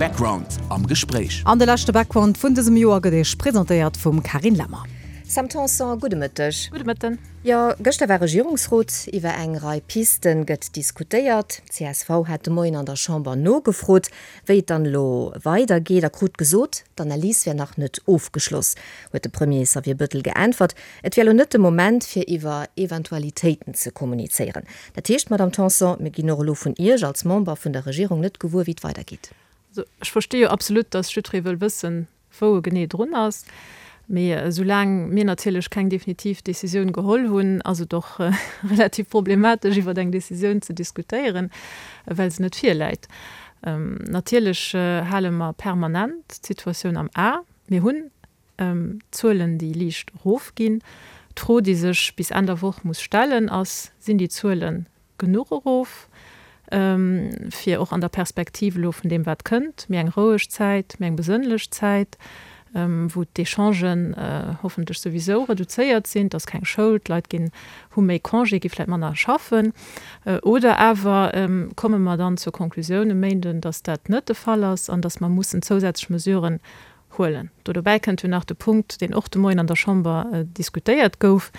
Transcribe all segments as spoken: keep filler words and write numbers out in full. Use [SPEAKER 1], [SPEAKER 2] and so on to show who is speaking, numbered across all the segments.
[SPEAKER 1] Background am Gespréich.
[SPEAKER 2] An de leschte Background vun dësem Joer gëtt Iech presentéiert vum Carine Lemmer.
[SPEAKER 3] Sam Tanson, gudde Mëtteg.
[SPEAKER 4] Gudde Mëtten.
[SPEAKER 3] Jo, gëschter war Regierungsrot. Iwwer eng Rei Piste gëtt diskutéiert. Csv hat de Moien an der Chamber nogefrot, wéi et dann elo weidergeet a krut gesot, d'Analys wär nach net ofgeschloss, huet de Premier Xavier Bëttel geäntwert. Et wär elo net de Moment, fir iwwer Eventualitéiten ze kommunizéieren. Dat heescht, Madamm Tanson, mir ginn och elo vun Iech als Member vun der Regierung net gewuer, wéi et weidergeet.
[SPEAKER 4] Also ech versti jo absolut, dass jiddweree wëll wëssen, wou e genee drun ass. Mee esoulaang mir natierlech keng definitiv Decisioun geholl hunn, ass et och relativ problematesch, iwwer eng Decisioun ze diskutéieren, well se net virläit. Natierlech hale mer permanent d'Situatioun am A. Mir hunn Zuelen, déi liicht erofginn. D'Fro, déi sech bis Enn der Woch muss stellen, ass, Sinn déi Zuelen genuch erof, fir och an der Perspektiv elo vun deem, wat kënnt, méi eng roueg Zäit, méi eng besënnlech Zäit, wou d'Echangen hoffentlech souwisou reduzéiert sinn, et ass keng Schoul, d'Leit ginn, hu méi Congé, gi vläicht manner schaffen, oder awer komme mer dann zur Conclusioun e Méinden, datt dat net de Fall ass an datt mer mussen zousätzlech Mesuren huelen. Do dobäi kënnt jo nach de Punkt, deen och de Moien an der Chamber diskutéiert gouf,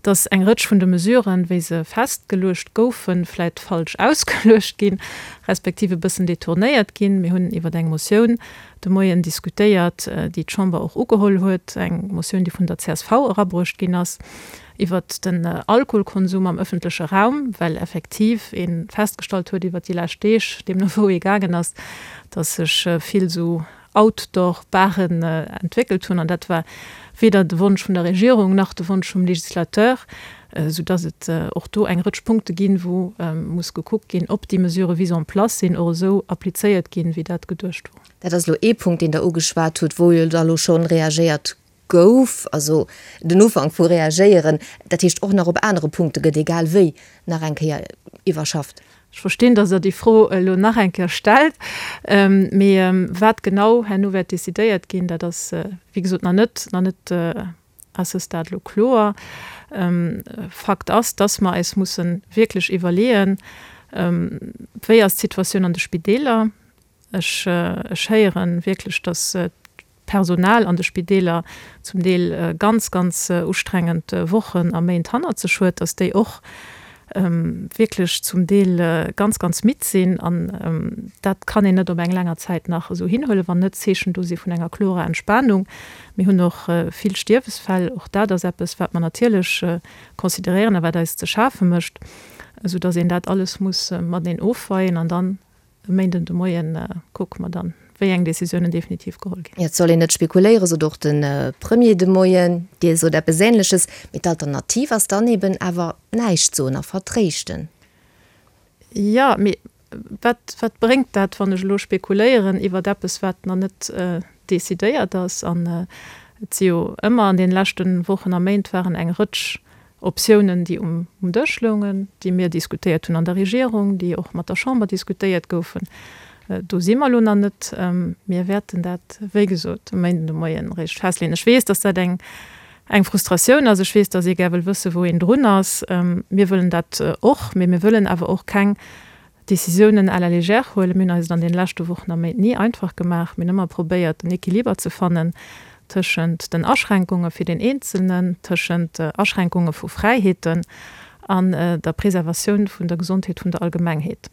[SPEAKER 4] dass eng Rëtsch vun de Mesuren, wéi se festgeluecht goufen, vläicht falsch ausgeluecht ginn, respektiv e bëssen detournéiert ginn. Mir hunn iwwer eng Motioun de Moien diskutéiert, déi d'Chamber och ugeholl huet, eng Motioun, déi vun der csv erabruecht ginn ass, iwwert den Alkoholkonsum am öffentleche Raum, well effektiv ee festgestallt huet iwwert déi lescht Deeg, deemno wou ee gaangen ass, dass sech vill esou Outdoor-Baren entwéckelt hunn, an dat war weder de Wonsch vun der Regierung nach de Wonsch vum Législateur, soudass et och do eng Rëtsch Punkte ginn, wou muss gekuckt ginn, ob déi Mesurë wéi se en place sinn, och esou applizéiert ginn, wéi dat geduecht wor.
[SPEAKER 3] Dat ass elo ee Punkt, deen Der ugeschwat hutt, wou jo da elo scho reagéiert gouf, also den Ufank vu reagéieren. Dat heescht, och nach op anere Punkte gëtt egal wéi nach eng Kéier iwwerschafft.
[SPEAKER 4] Ech verstinn, dass Der déi Fro elo nach eng Kéier stellt, mee wat genau herno wäert decidéiert ginn, dat ass, wéi gesot, nach net, nach net à ce stade elo kloer. Fakt ass, dass mer eis musse wierklech iwwerleeën, Wéi ass d'Situatioun an de Spideeler? Ech, ech héiere wierklech, dass d'Personal an de Spideeler zum Deel ganz, ganz ustrengend Wochen a Méint hannert sech huet, dass déi och wierklech zum Deel ganz, ganz midd sinn. An dat kann een net op eng länger Zäit nach esou hinhuelen, wann net Zeechen do si vun enger klorer Entspanung. Mir hunn och vill Stierwesfäll. Och dat ass eppes, wat mer natierlech consideréieren a wat eis ze schafe mécht, esoudass een dat alles muss mateneen ofweien an dann E Méinden de Moien kucke mer dann, wéi eng Decisiounen definitiv geholl ginn.
[SPEAKER 3] Et soll een net spekuléieren, sot och de Premier de Moien. Dir sot eppes Änleches. Mee d'Alternativ ass dann eben awer näischt soen a vertréischten.
[SPEAKER 4] Jo, mee wat, wat bréngt dat, wann ech elo spekuléieren iwwert eppes, wat nach net decidéiert ass? An et si jo ëmmer an deene leschte Wochen a Méint waren eng Rëtsch Optiounen, déi um Dësch loungen, déi mir diskutéiert hunn an der Regierung, déi och mat der Chamber diskutéiert goufen. Do si mer elo nach net. Mir wäerten dat, wéi gesot, e Méinden de Moien eréischt festleeën. Ech weess, dass dat eng Frustratioun ass. Ech weess, dass ee gär wëll wëssen, wou een drun ass. Mir wëllen dat och, mee mir wëllen awer och keng Décisiounen à la légère huelen. Mir hunn eis et an deene leschte Wochen a Méint ni einfach gemaach. Mir hunn ëmmer probéiert, en Equiliber ze fannen tëschent den Aschränkunge fir den Eenzelnen, tëschent Aschränkunge vu Fräiheeten an der Preservatioun vun der Gesondheet vun der Allgemengheet.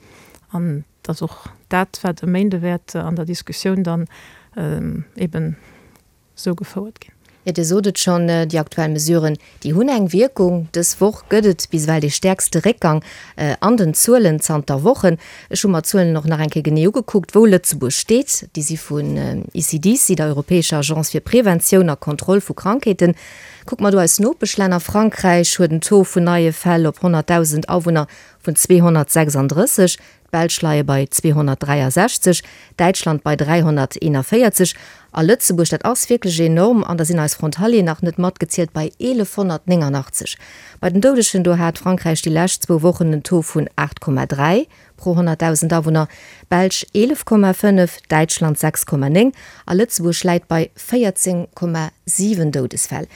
[SPEAKER 4] An et ass och dat, wat e Méinde wäert an der Diskussioun dann eben esou gefouert ginn.
[SPEAKER 3] Jo, Dir sot et schonn, déi aktuell Mesuren, déi hunn eng Wierkung. Dës Woch gëtt et bis ewell dee stäerkste Réckgang an den Zuelen zanter Wochen. Ech hu mer d'Zuelen och nach eng Kéier genee ugekuckt, wou Lëtzebuerg steet. Déi si vun ECDC, der europäescher Agence fir Preventioun a Kontroll vu Krankheeten. Kucke mer do eis Nopeschlänner, Frankräich huet en Taux vun neie Fäll op honnertdausend Awunner vun zweehonnertsechsanddrësseg, D'Belsch leie bei zweehonnertdräiasechzeg, Däitschland bei dräihonnerteenavéierzeg a Lëtzebuerg, dat ass wierklech enorm, an da sinn eis Frontalieren nach net matgezielt, bei eelefhonnertnéngangachtzeg. Bei den Doudegen, do hat Frankräich déi lescht zwou Wochen en Taux vun aacht Komma dräi pro honnertdausend Awunner, d'Belsch eelef Komma fënnef, Däitschland sechs Komma néng a Lëtzebuerg läit bei véierzéng Komma siwen Doudesfäll.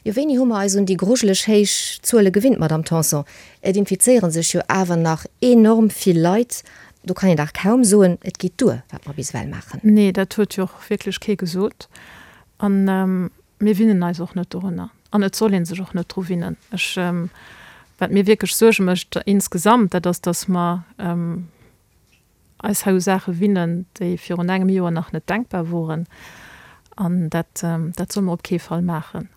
[SPEAKER 3] Jo, wéini hu mer eis un déi grujeleg héich Zuele gewinnt, Madamm Tanson? Et infizéiere sech jo awer nach enorm vill Leit. Do kann een dach kaum soen, et geet duer, wat mer bis ewell maachen.
[SPEAKER 4] Nee, dat huet jo och wierklech kee gesot. An mir winnen eis och net dorunner. An et soll ee sech och net dru winnen. Ech, wat mir wierklech Suerge mécht insgesamt, dat ass, dass mer eis hei u Saache winnen, déi virun engem Joer nach net denkbar woren. An dat, dat solle mer op kee Fall maachen.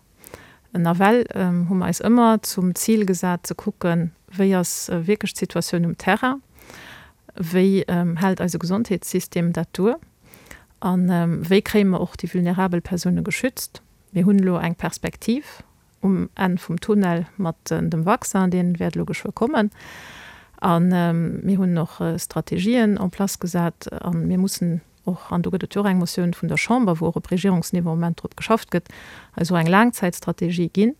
[SPEAKER 4] Nawell hu mer eis ëmmer zum Zil gesat ze kucken, wéi ass wierklech d'Situatioun um Terrain, wéi hält eise Gesondheetssystem dat duer a wéi kréie mer och déi vulnerabel Persoune geschützt. Mir hunn elo eng Perspektiv um Enn vum Tunnel mat dem Vaccin, dee wäert elo geschwë kommen. A mir hunn och Strategien en place gesat a mir mussen och, an do gëtt et jo och eng Motioun vun der Chamber, wou och op Regierungsniveau am Moment drop geschafft gëtt, eis och eng Laangzäitstrategie ginn,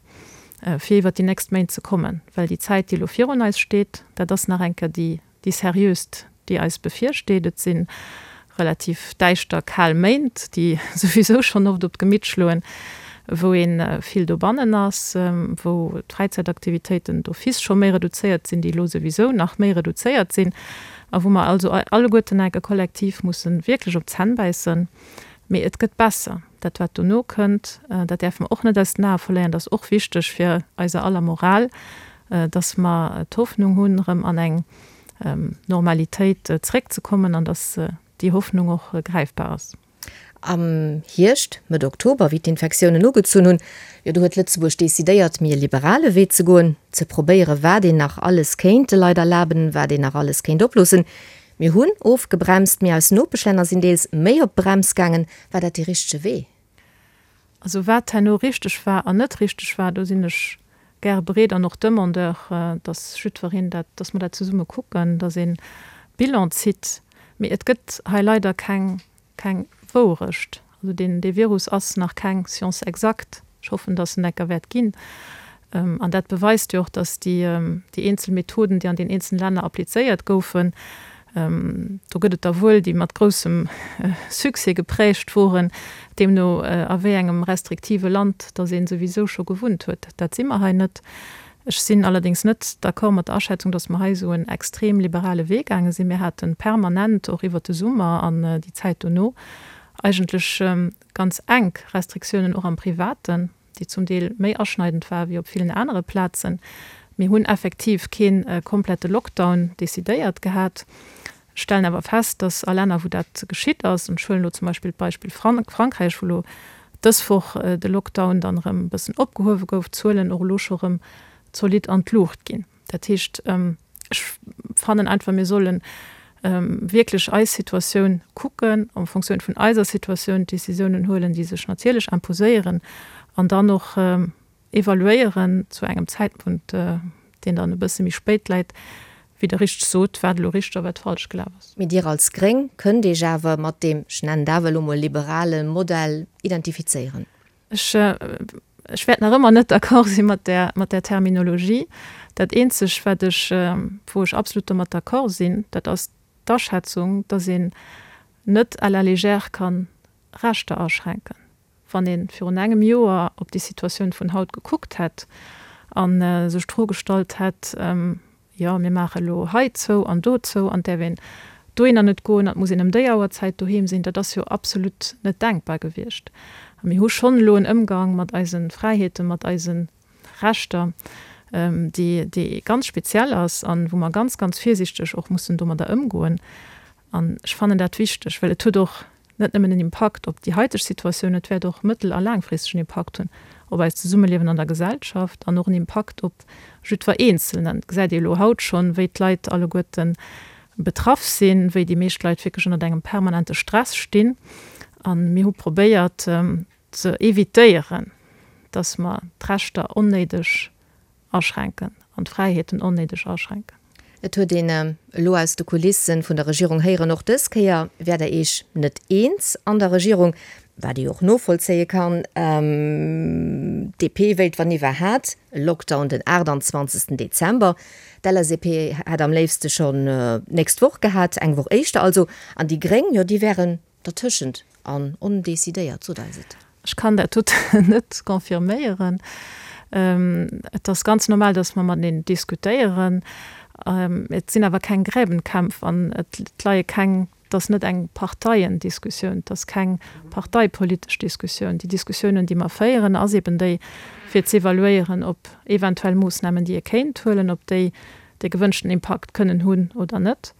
[SPEAKER 4] fir iwwert déi nächst Méint ze kommen. Well déi Zäit, déi elo virun eis steet, dat ass nach eng Kéier déi, déi seriöst, déi eis bevirsteet. Et si relativ däischter, kal Méint, déi souwisou schonn oft op d'Gemitt schloen, wou ee vill dobannen ass, wou d'Fräizäitaktivitéiten d'office scho méi reduzéiert sinn, déi elo souwisou nach méi reduzéiert sinn, a wou mer also alleguerten enke kollektiv musse wierklech op d'Zänn bäissen. Mee et gëtt besser. Dat, wat dono kënnt, dat däerfe mer och net aus den Ae verléieren. Dat ass och wichteg fir eiser aller Moral, dass mer d'Hoffnung hunn, erëm an eng Normalitéit zréckzekommen an dass déi Hoffnung och gräifbar ass.
[SPEAKER 3] Am Hierscht, Mëtt Oktober, wéi d'Infektiounen ugezunn hunn, jo do huet Lëtzebuerg decidéiert, méi e liberale Wee ze goen, ze probéieren, wat een nach alles kéint de Leit erlaben, wat een nach alles kéint oploossen. Mir hunn ofgebremst, mee eis Nopeschlänner sinn deels méi op d'Brems gaangen. War dat dee richtege Wee?
[SPEAKER 4] Also wat herno richteg war an net richteg war, do sinn ech gäre bereet an och Demandeur, dass jiddwereen dat, dass mer dat zesumme kucken, dass ee Bilan zitt. Mee et gëtt hei leider keng keng Wourecht. Also deen, dee Virus ass nach keng Science exacte. Ech hoffen, dass en enker wäert ginn. An dat beweist jo och, dass déi, déi eenzel Methoden, déi an den eenzelne Länner applizéiert goufen, do gëtt et der wuel, déi mat groussem Succès geprägt woren, deemno a wéi engem restriktive Land dass ee souwisou scho gewunnt huet. Dat si mer hei net. Ech sinn allerdéngs net d'accord mat der Aschätzung, dass mer hei esou en extrem liberale Wee gaange sinn. Mir hate permanent, och iwwert de Summer an déi Zäit dono, eigentlech ganz enk Restriktiounen, och am Privaten, déi zum Deel méi aschneidend war wéi op villen anere Plazen. Mir hunn effektiv kee komplette Lockdown decidéiert gehat. Ech stellen awer fest, dass a Länner, wou dat geschitt ass, an ech huelen elo zum Beispill d'Beispill Frankräich, wou elo dës Woch de Lockdown dann erëm e bëssen opgehuewe gouf, d'Zuelen och elo scho erëm zolidd an d'Luucht ginn. Dat heescht, ech fannen einfach, mir solle wierklech eis Situatioun kucken, en Fonctioun vun eiser Situatioun d'Décisiounen huelen, déi sech natierlech imposéieren, an dann och evaluéieren zu engem Zäitpunkt, deen dann e bësse méi spéit läit, wéi Der richteg sot, wat elo richteg a wat falsch gelaf ass.
[SPEAKER 3] Mee Dir als Gréng kënnt Iech awer mat deem, ech nennen et awer elo mol, liberale Modell identifizéieren?
[SPEAKER 4] Ech, ech wäert nach ëmmer net d'accord si mat där, mat där Terminologie. Dat Eenzeg, wat ech, wou ech absolut domat d'accord sinn, dat ass d'Aschätzung, dass een net à la légère ka Rechter aschränken. Wann ee virun engem Joer op déi Situatioun vun haut gekuckt hätt a sech d'Fro gestallt hätt, Jo, mir maache elo hei zou an do zou an et däerf een dohinner net goen an et muss een ëm déi Auerzäit doheem sinn, dat ass jo absolut net denkbar gewiescht. A mir hu schonn elo en Ëmgang mat eise Fräiheeten, mat eise Rechter, déi, déi ganz speziell ass an wou mer ganz, ganz virsiichteg och mussen domadder ëmgoen. An ech fannen dat wichteg, well et huet och net nëmmen en Impakt op déi haiteg Situatioun, et wäert och mëttel a laangfristeg en Impakt hunn op eist Zesummeliewen an der Gesellschaft an och en Impakt op jiddwer Eenzelnen. Et gesäit ee elo haut schonn, wéi d'Leit alleguerte betraff sinn, wéi déi meescht Leit wierklech ënnert engem permanente Stress stinn. A mir hu probéiert ze evitéieren, dass mer d'Rechter onnéideg aschränken an d'Fräiheeten onnéideg aschränken.
[SPEAKER 3] Et huet een elo aus de Kulisse vun der Regierung héieren, och dës Kéier wäert Der Iech net eens an der Regierung, wat ee jo och novollzéie kann. D P wéilt wann iwwerhat e Lockdown den aachtanzwanzegsten Dezember. D' L S A P hätt am léifste schonn d'nächst Woch gehat, eng Woch éischter also. An déi Gréng, jo déi wären dertëschent an ondecidéiert, sot eis et.
[SPEAKER 4] Ech kann dat doten net confirméieren. Et ass ganz normal, dass mer mateneen diskutéieren. Et sinn awer keng Gräbenkämpf an et leie keng, et ass net eng Parteiendiskussioun, et ass keng parteipolitesch Diskussioun. Déi Diskussiounen, déi mer féieren, ass eben déi, fir z'evaluéieren, ob eventuell Moossnamen, déi ee kéint huelen, ob déi de gewënschten Impakt kënnen hunn oder net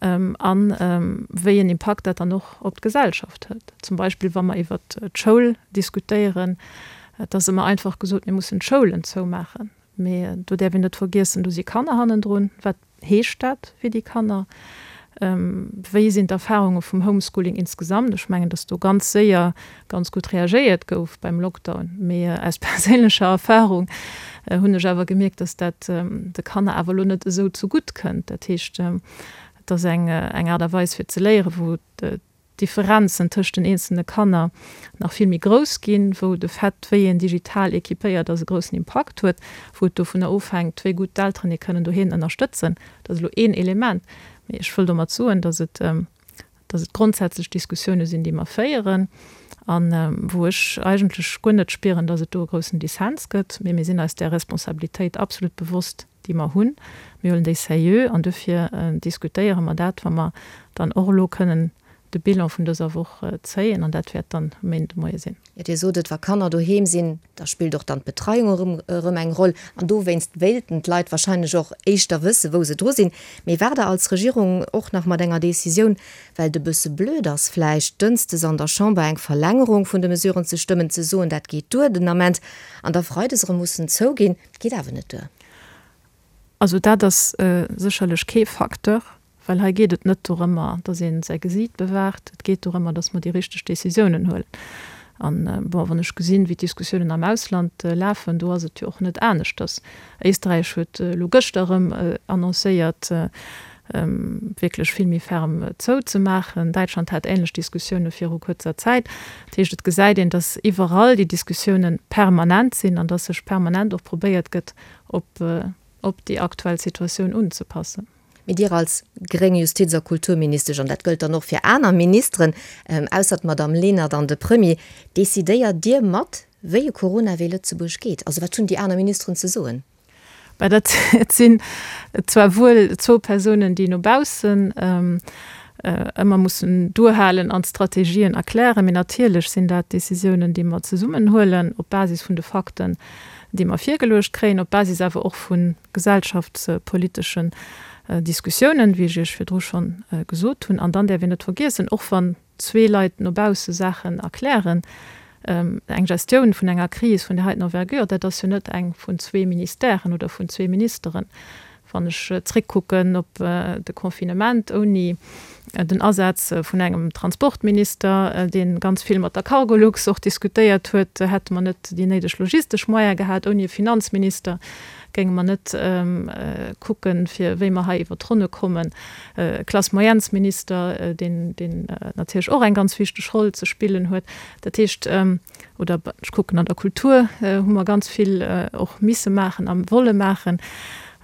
[SPEAKER 4] a wéi en Impakt dat dann och op d'Gesellschaft huet. Zum Beispill wa mer iwwert d'Schoul diskutéieren, et ass ëmmer einfach gesot, mir mussen d'Schoulen zoumaachen. Mee do däerf een net vergiessen, do si Kanner hannendrun. Wat heescht dat fir déi Kanner? Wéi sinn d'Erfarunge vum Homeschooling insgesamt? Ech mengen, datt do ganz séier ganz gutt reagéiert gouf beim Lockdown. Mee aus perséinlecher Erfarung hunn ech awer gemierkt, datt dat de Kanner awer elo net esou zegutt kënnt. Dat heescht, et ass eng Aart a Weis fir ze léieren, wou d'Differenzen tëscht den eenzelne Kanner nach vill méi grouss ginn, wou de Fait, wéi een digital équipéiert ass, e groussen Impakt huet, wou et dovunner ofhänkt, wéi gutt d'Elteren ee kënnen doheem ënnerstëtzen. Dat ass elo een Element. Mee ech wëll domat soen, dass et, dass et grondsätzlech Diskussioune sinn, déi mer féieren a wou ech eigentlech guer net spieren, dass et do e groussen Dissens gëtt. Mee mir sinn eis där Responsabilitéit absolut bewosst, déi mer hunn. Mir huelen déi sérieux an dofir diskutéiere mer dat, wa mer dann och elo kënnen de Bilan vun dëser Woch zéien, an dat wäert dann e Méindemoie sinn.
[SPEAKER 3] Jo, Dir sot et, wa Kanner doheem sinn, da spillt och dann d'Betreiung erëm erëm eng Roll. An dowéinst wéilten d'Leit wahrscheinlech och éischter wësse wou se dru sinn. Mee waart Der als Regierung och nach mat enger Decisioun, well et e bësse blöd ass vläicht, dënsdes an der Chamber eng Verlängerung vun de Mesuren ze stëmmen, ze soen, dat geet duer den Ament, an da freides erëm mussen zouginn, et geet awer net duer?
[SPEAKER 4] Also dat ass sécherlech kee Facteur, well hei geet et net dorëmmer, datt ee säi Gesiit bewaacht, et geet dorëmmer, datt mer déi richteg Décisiounen huelen. An, bon, wann ech gesinn, wéi d'Diskussiounen am Ausland lafen, do ass et jo och net aneschters. Éisträich huet elo gëschter erëm annoncéiert, wierklech vill méi ferm zouzemaachen. Däitschland hat änlech Diskussioune viru kuerzer Zäit. Dat heescht, et gesäit een, datt iwwerall déi Diskussioune permanent sinn an datt sech permanent och probéiert gëtt, op op déi aktuell Situatioun unzepassen.
[SPEAKER 3] Mee Dir als gréng Justiz a Kulturministesch, an dat gëllt dann och fir aner Ministeren, ausser d'Madamm Lenert an de Premier, decidéiert Dir mat, wéi e Corona-Wee Lëtzebuerg geet? Also wat hunn déi aner Ministeren ze soen?
[SPEAKER 4] Bah, dat sinn zwar wuel zwou Persounen, déi no baussen ëmmer mussen duerhalen an d'Strategien erklären, mee natierlech sinn dat Décisiounen, déi mer zesummen huelen, op Basis vun de Fakten, déi mer virgeluecht kréien, op Basis awer och vu gesellschaftspoliteschen Diskussiounen, wéi ech Iech virdru schonn gesot hunn. An dann däerf een net vergiessen, och wann zwee Leit no bausse Saachen erklären, eng Gestioun vun enger Kris vun där heiten Envergure, dat ass jo net eng vun zwee Ministèren oder vun zwee Ministeren. Wann ech zréckkucken op de Confinement, ouni den Asaz vun engem Transportminister, dee ganz vill mat der Cargolux och diskutéiert huet, hätte mer net déi néideg logistesch Moyene gehat. Ouni e Finanzminister géinge mer net kucken, fir wéi mer hei iwwer d'Ronne kommen. E Classe-moyennes-Minister, deen natierlech och eng ganz wichteg Roll ze spillen huet. Dat heescht, oder ech kucken an der Kultur hu mer ganz vill och misse maachen a wolle maachen.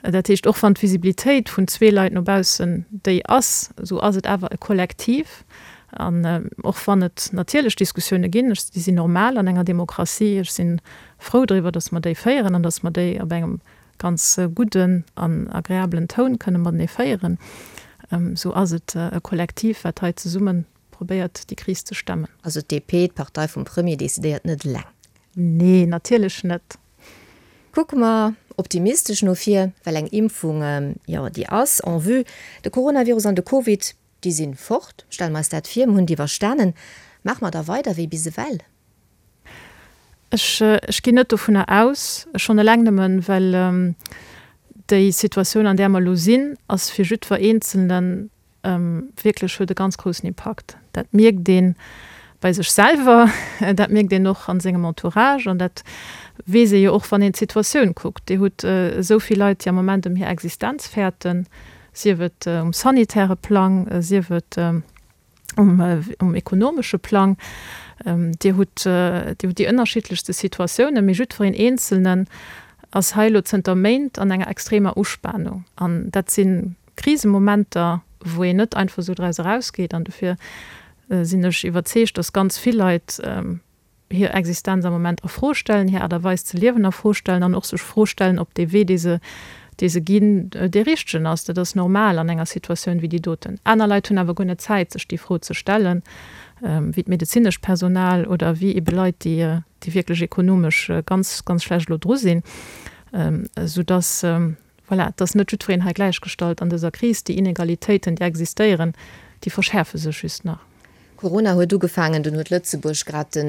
[SPEAKER 4] Dat heescht, och wann d'Visibilitéit vun zwee Leit no baussen déi ass, esou ass et awer e Kollektiv. An och wann et natierlech Diskussioune ginn, déi sinn normal an enger Demokratie, ech si frou driwwer, datt mer déi féieren an datt mer déi op engem ganz gudden an agreabelen Toun kënne matenee féieren, esou ass et e Kollektiv, wat hei zesumme probéiert, déi Kris ze stemmen.
[SPEAKER 3] Also d'DP, d'Partei vum Premier, decidéiert net eleng?
[SPEAKER 4] Nee, natierlech net.
[SPEAKER 3] Kucke mer optimistesch no vir, well eng Impfung, jo, déi ass en vue. De Coronavirus an de Covid, déi sinn fort. Stelle mer eis dat vir, mer hunn et iwwerstanen. Maache mer da weider wéi bis ewell?
[SPEAKER 4] Ech, ech ginn net dovunner aus, schonn eleng nëmmen, well déi Situatioun, an där mer elo sinn, ass fir jiddwer Eenzelnen wierklech, huet e ganz groussen Impakt. Dat mierkt ee bei sech selwer, dat mierkt een och a sengem Entourage an dat weess ee jo och, wann een d'Situatioun kuckt. Dir hutt esou vill Leit, déi am Moment ëm hir Existenz fäerten, sief et um sanitäre Plang, sief et um ekonomesche Plang. Dir hutt déi ënnerschiddlechste Situatiounen, mee jiddwereen Eenzelnen ass hei elo zënter Méint an enger extremer Uspanung. An dat si Krisemomenter, wou een net einfach esou draus erausgeet. An dofir sinn ech iwwerzeegt, dass ganz vill Leit hir Existenz am Moment a Fro stellen, hir Aart a Weis ze liewen a Fro stellen an och sech Fro stellen, ob dee Wee, dee se dee se ginn, dee richtegen ass. Dat ass normal an enger Situatioun wéi déi doten. Aner Leit hunn awer guer net Zäit, sech déi Fro ze stellen, wéi d'medezinescht Personal oder wéi ebe Leit, déi, déi wierklech ekonomesch ganz, ganz schlecht elo dru sinn, soudass, voilà, et ass net jiddwereen hei gläichgestallt an dëser Kris. Déi Inegalitéiten, déi existéieren, déi verschäerfe sech just nach.
[SPEAKER 3] Corona huet ugefaangen, dunn huet Lëtzebuerg grad de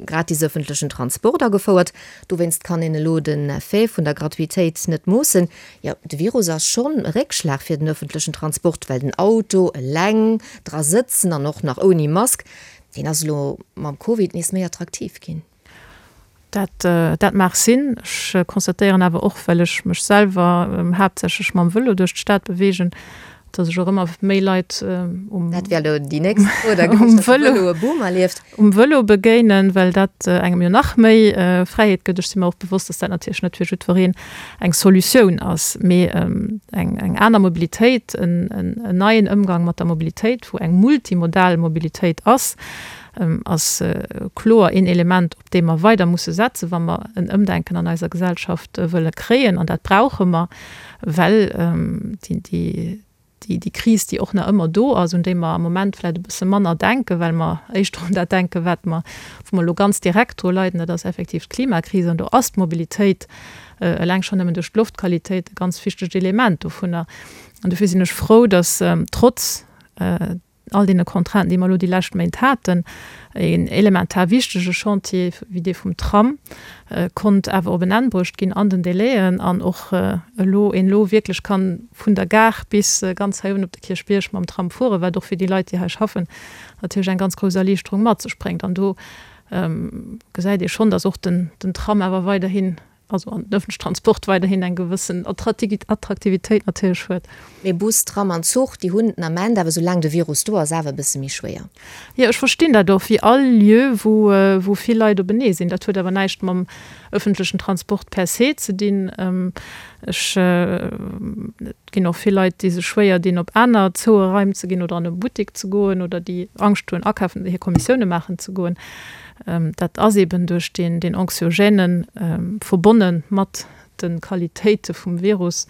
[SPEAKER 3] gratis ëffentlechen Transport agefouert. Dowéinst kann een elo den Effet vun der Gratuitéit net moossen. Jo, de Virus ass schonn e Réckschlag fir den ëffentlechen Transport, well den Auto, eleng dra sëtzen an och nach ouni Mask, deen ass elo mam Covid nees méi attraktiv ginn.
[SPEAKER 4] Dat, dat mag sinn. Ech constatéieren awer och, well ech mech selwer haaptsächlech mam Vëlo duerch d'Stad beweegen, dass ech och ëmmer méi Leit um
[SPEAKER 3] Dat wär elo déi nächst Fro da gewiescht, dass de Vëlo e Boom erlieft.
[SPEAKER 4] um Vëlo begéinen, well dat engem jo nach méi Fräiheet gëtt. Ech si mer och bewosst, dass dat natierlech net fir jiddwereen eng Solutioun ass, mee eng, eng aner Mobilitéit, en, en neien Ëmgang mat der Mobilitéit, wou eng multimodal Mobilitéit ass, ass kloer een Element, op dee mer weider musse setzen, wa mer en Ëmdenken an eiser Gesellschaft wëlle kréien. An dat brauche mer, well déi, déi Kris, déi och nach ëmmer do ass, un déi mer am Moment vläicht e bësse manner denken, well mer éischter un dat denken, wat mer, wou mer elo ganz direkt dru leiden, dat ass effektiv d'Klimakris. An do ass d'Mobilitéit eleng schonn nëmmen duerch d'Loftqualitéit e ganz wichtegt Element dovunner. An dofir sinn ech frou, dass trotz all deene Contrainten, déi mer elo déi lescht Méint haten, een elementar wichtege Chantier wéi dee vum Tram konnt awer op en Enn bruecht ginn an den Délaiën an och elo een elo wierklech kann vun der Gare bis ganz hei uewen op de Kierchbierg mam Tram fueren, wat och fir déi Leit, déi hei schaffen, natierlech eng ganz grouss Erliichterung mat sech bréngt. An do gesäit ee schonn, dass och den Tram awer weiderhin also an den öffentlichen Transport weiderhin eng gewëssen Attraktivitéit natierlech huet.
[SPEAKER 3] Mee Bus, Tram an Zuch, déi hunn den Ament awer, soulaang de Virus do ass, awer e bësse méi schwéier.
[SPEAKER 4] Jo, ech verstinn dat och, wéi all Lieu, wou, wou vill Leit openee sinn. Dat huet awer näischt mam öffentlichen Transport per se ze dinn. Ech, et ginn och vill Leit, déi sech schwéier dinn, op aner zoue Raim ze ginn oder an e Buttek ze goen oder déi Angscht hunn, akafen, hir Kommissioune maachen ze goen. Dat ass eben duerch deen, deen anxiogène verbonne mat de Qualitéite vum Virus,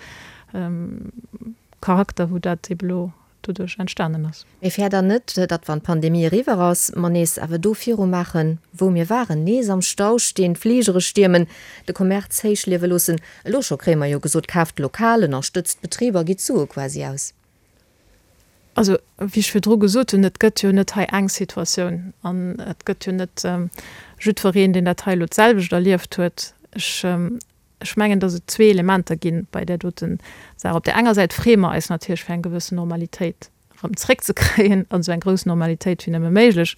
[SPEAKER 4] Charakter, wou dat eben elo doduerch entstanen ass.
[SPEAKER 3] Mee fäert Der net, datt wann d'Pandemie eriwwer ass, mer nees awer do viru maachen, wou mir waren, nees am Stau stinn, d'Fligere stiermen, de Commerce héich liewe loossen? Elo scho kréie mer jo gesot, kaaft lokal, ënnerstëtzt d'Betriber, gitt d'Sue quasi aus.
[SPEAKER 4] Also, wéi ech virdru gesot hunn, et gëtt jo net hei eng Situatioun an et gëtt jo net jiddwereen, deen dat hei elo d'selwecht erlieft huet. Ech, ech mengen, datt et zwee Elementer gi bei där dote Saach. Op där enger Säit freeë mer eis natierlech, fir eng gewëssen Normalitéit erëm zréckzekréien, an esou eng grouss Normalitéit wéi nëmme méiglech.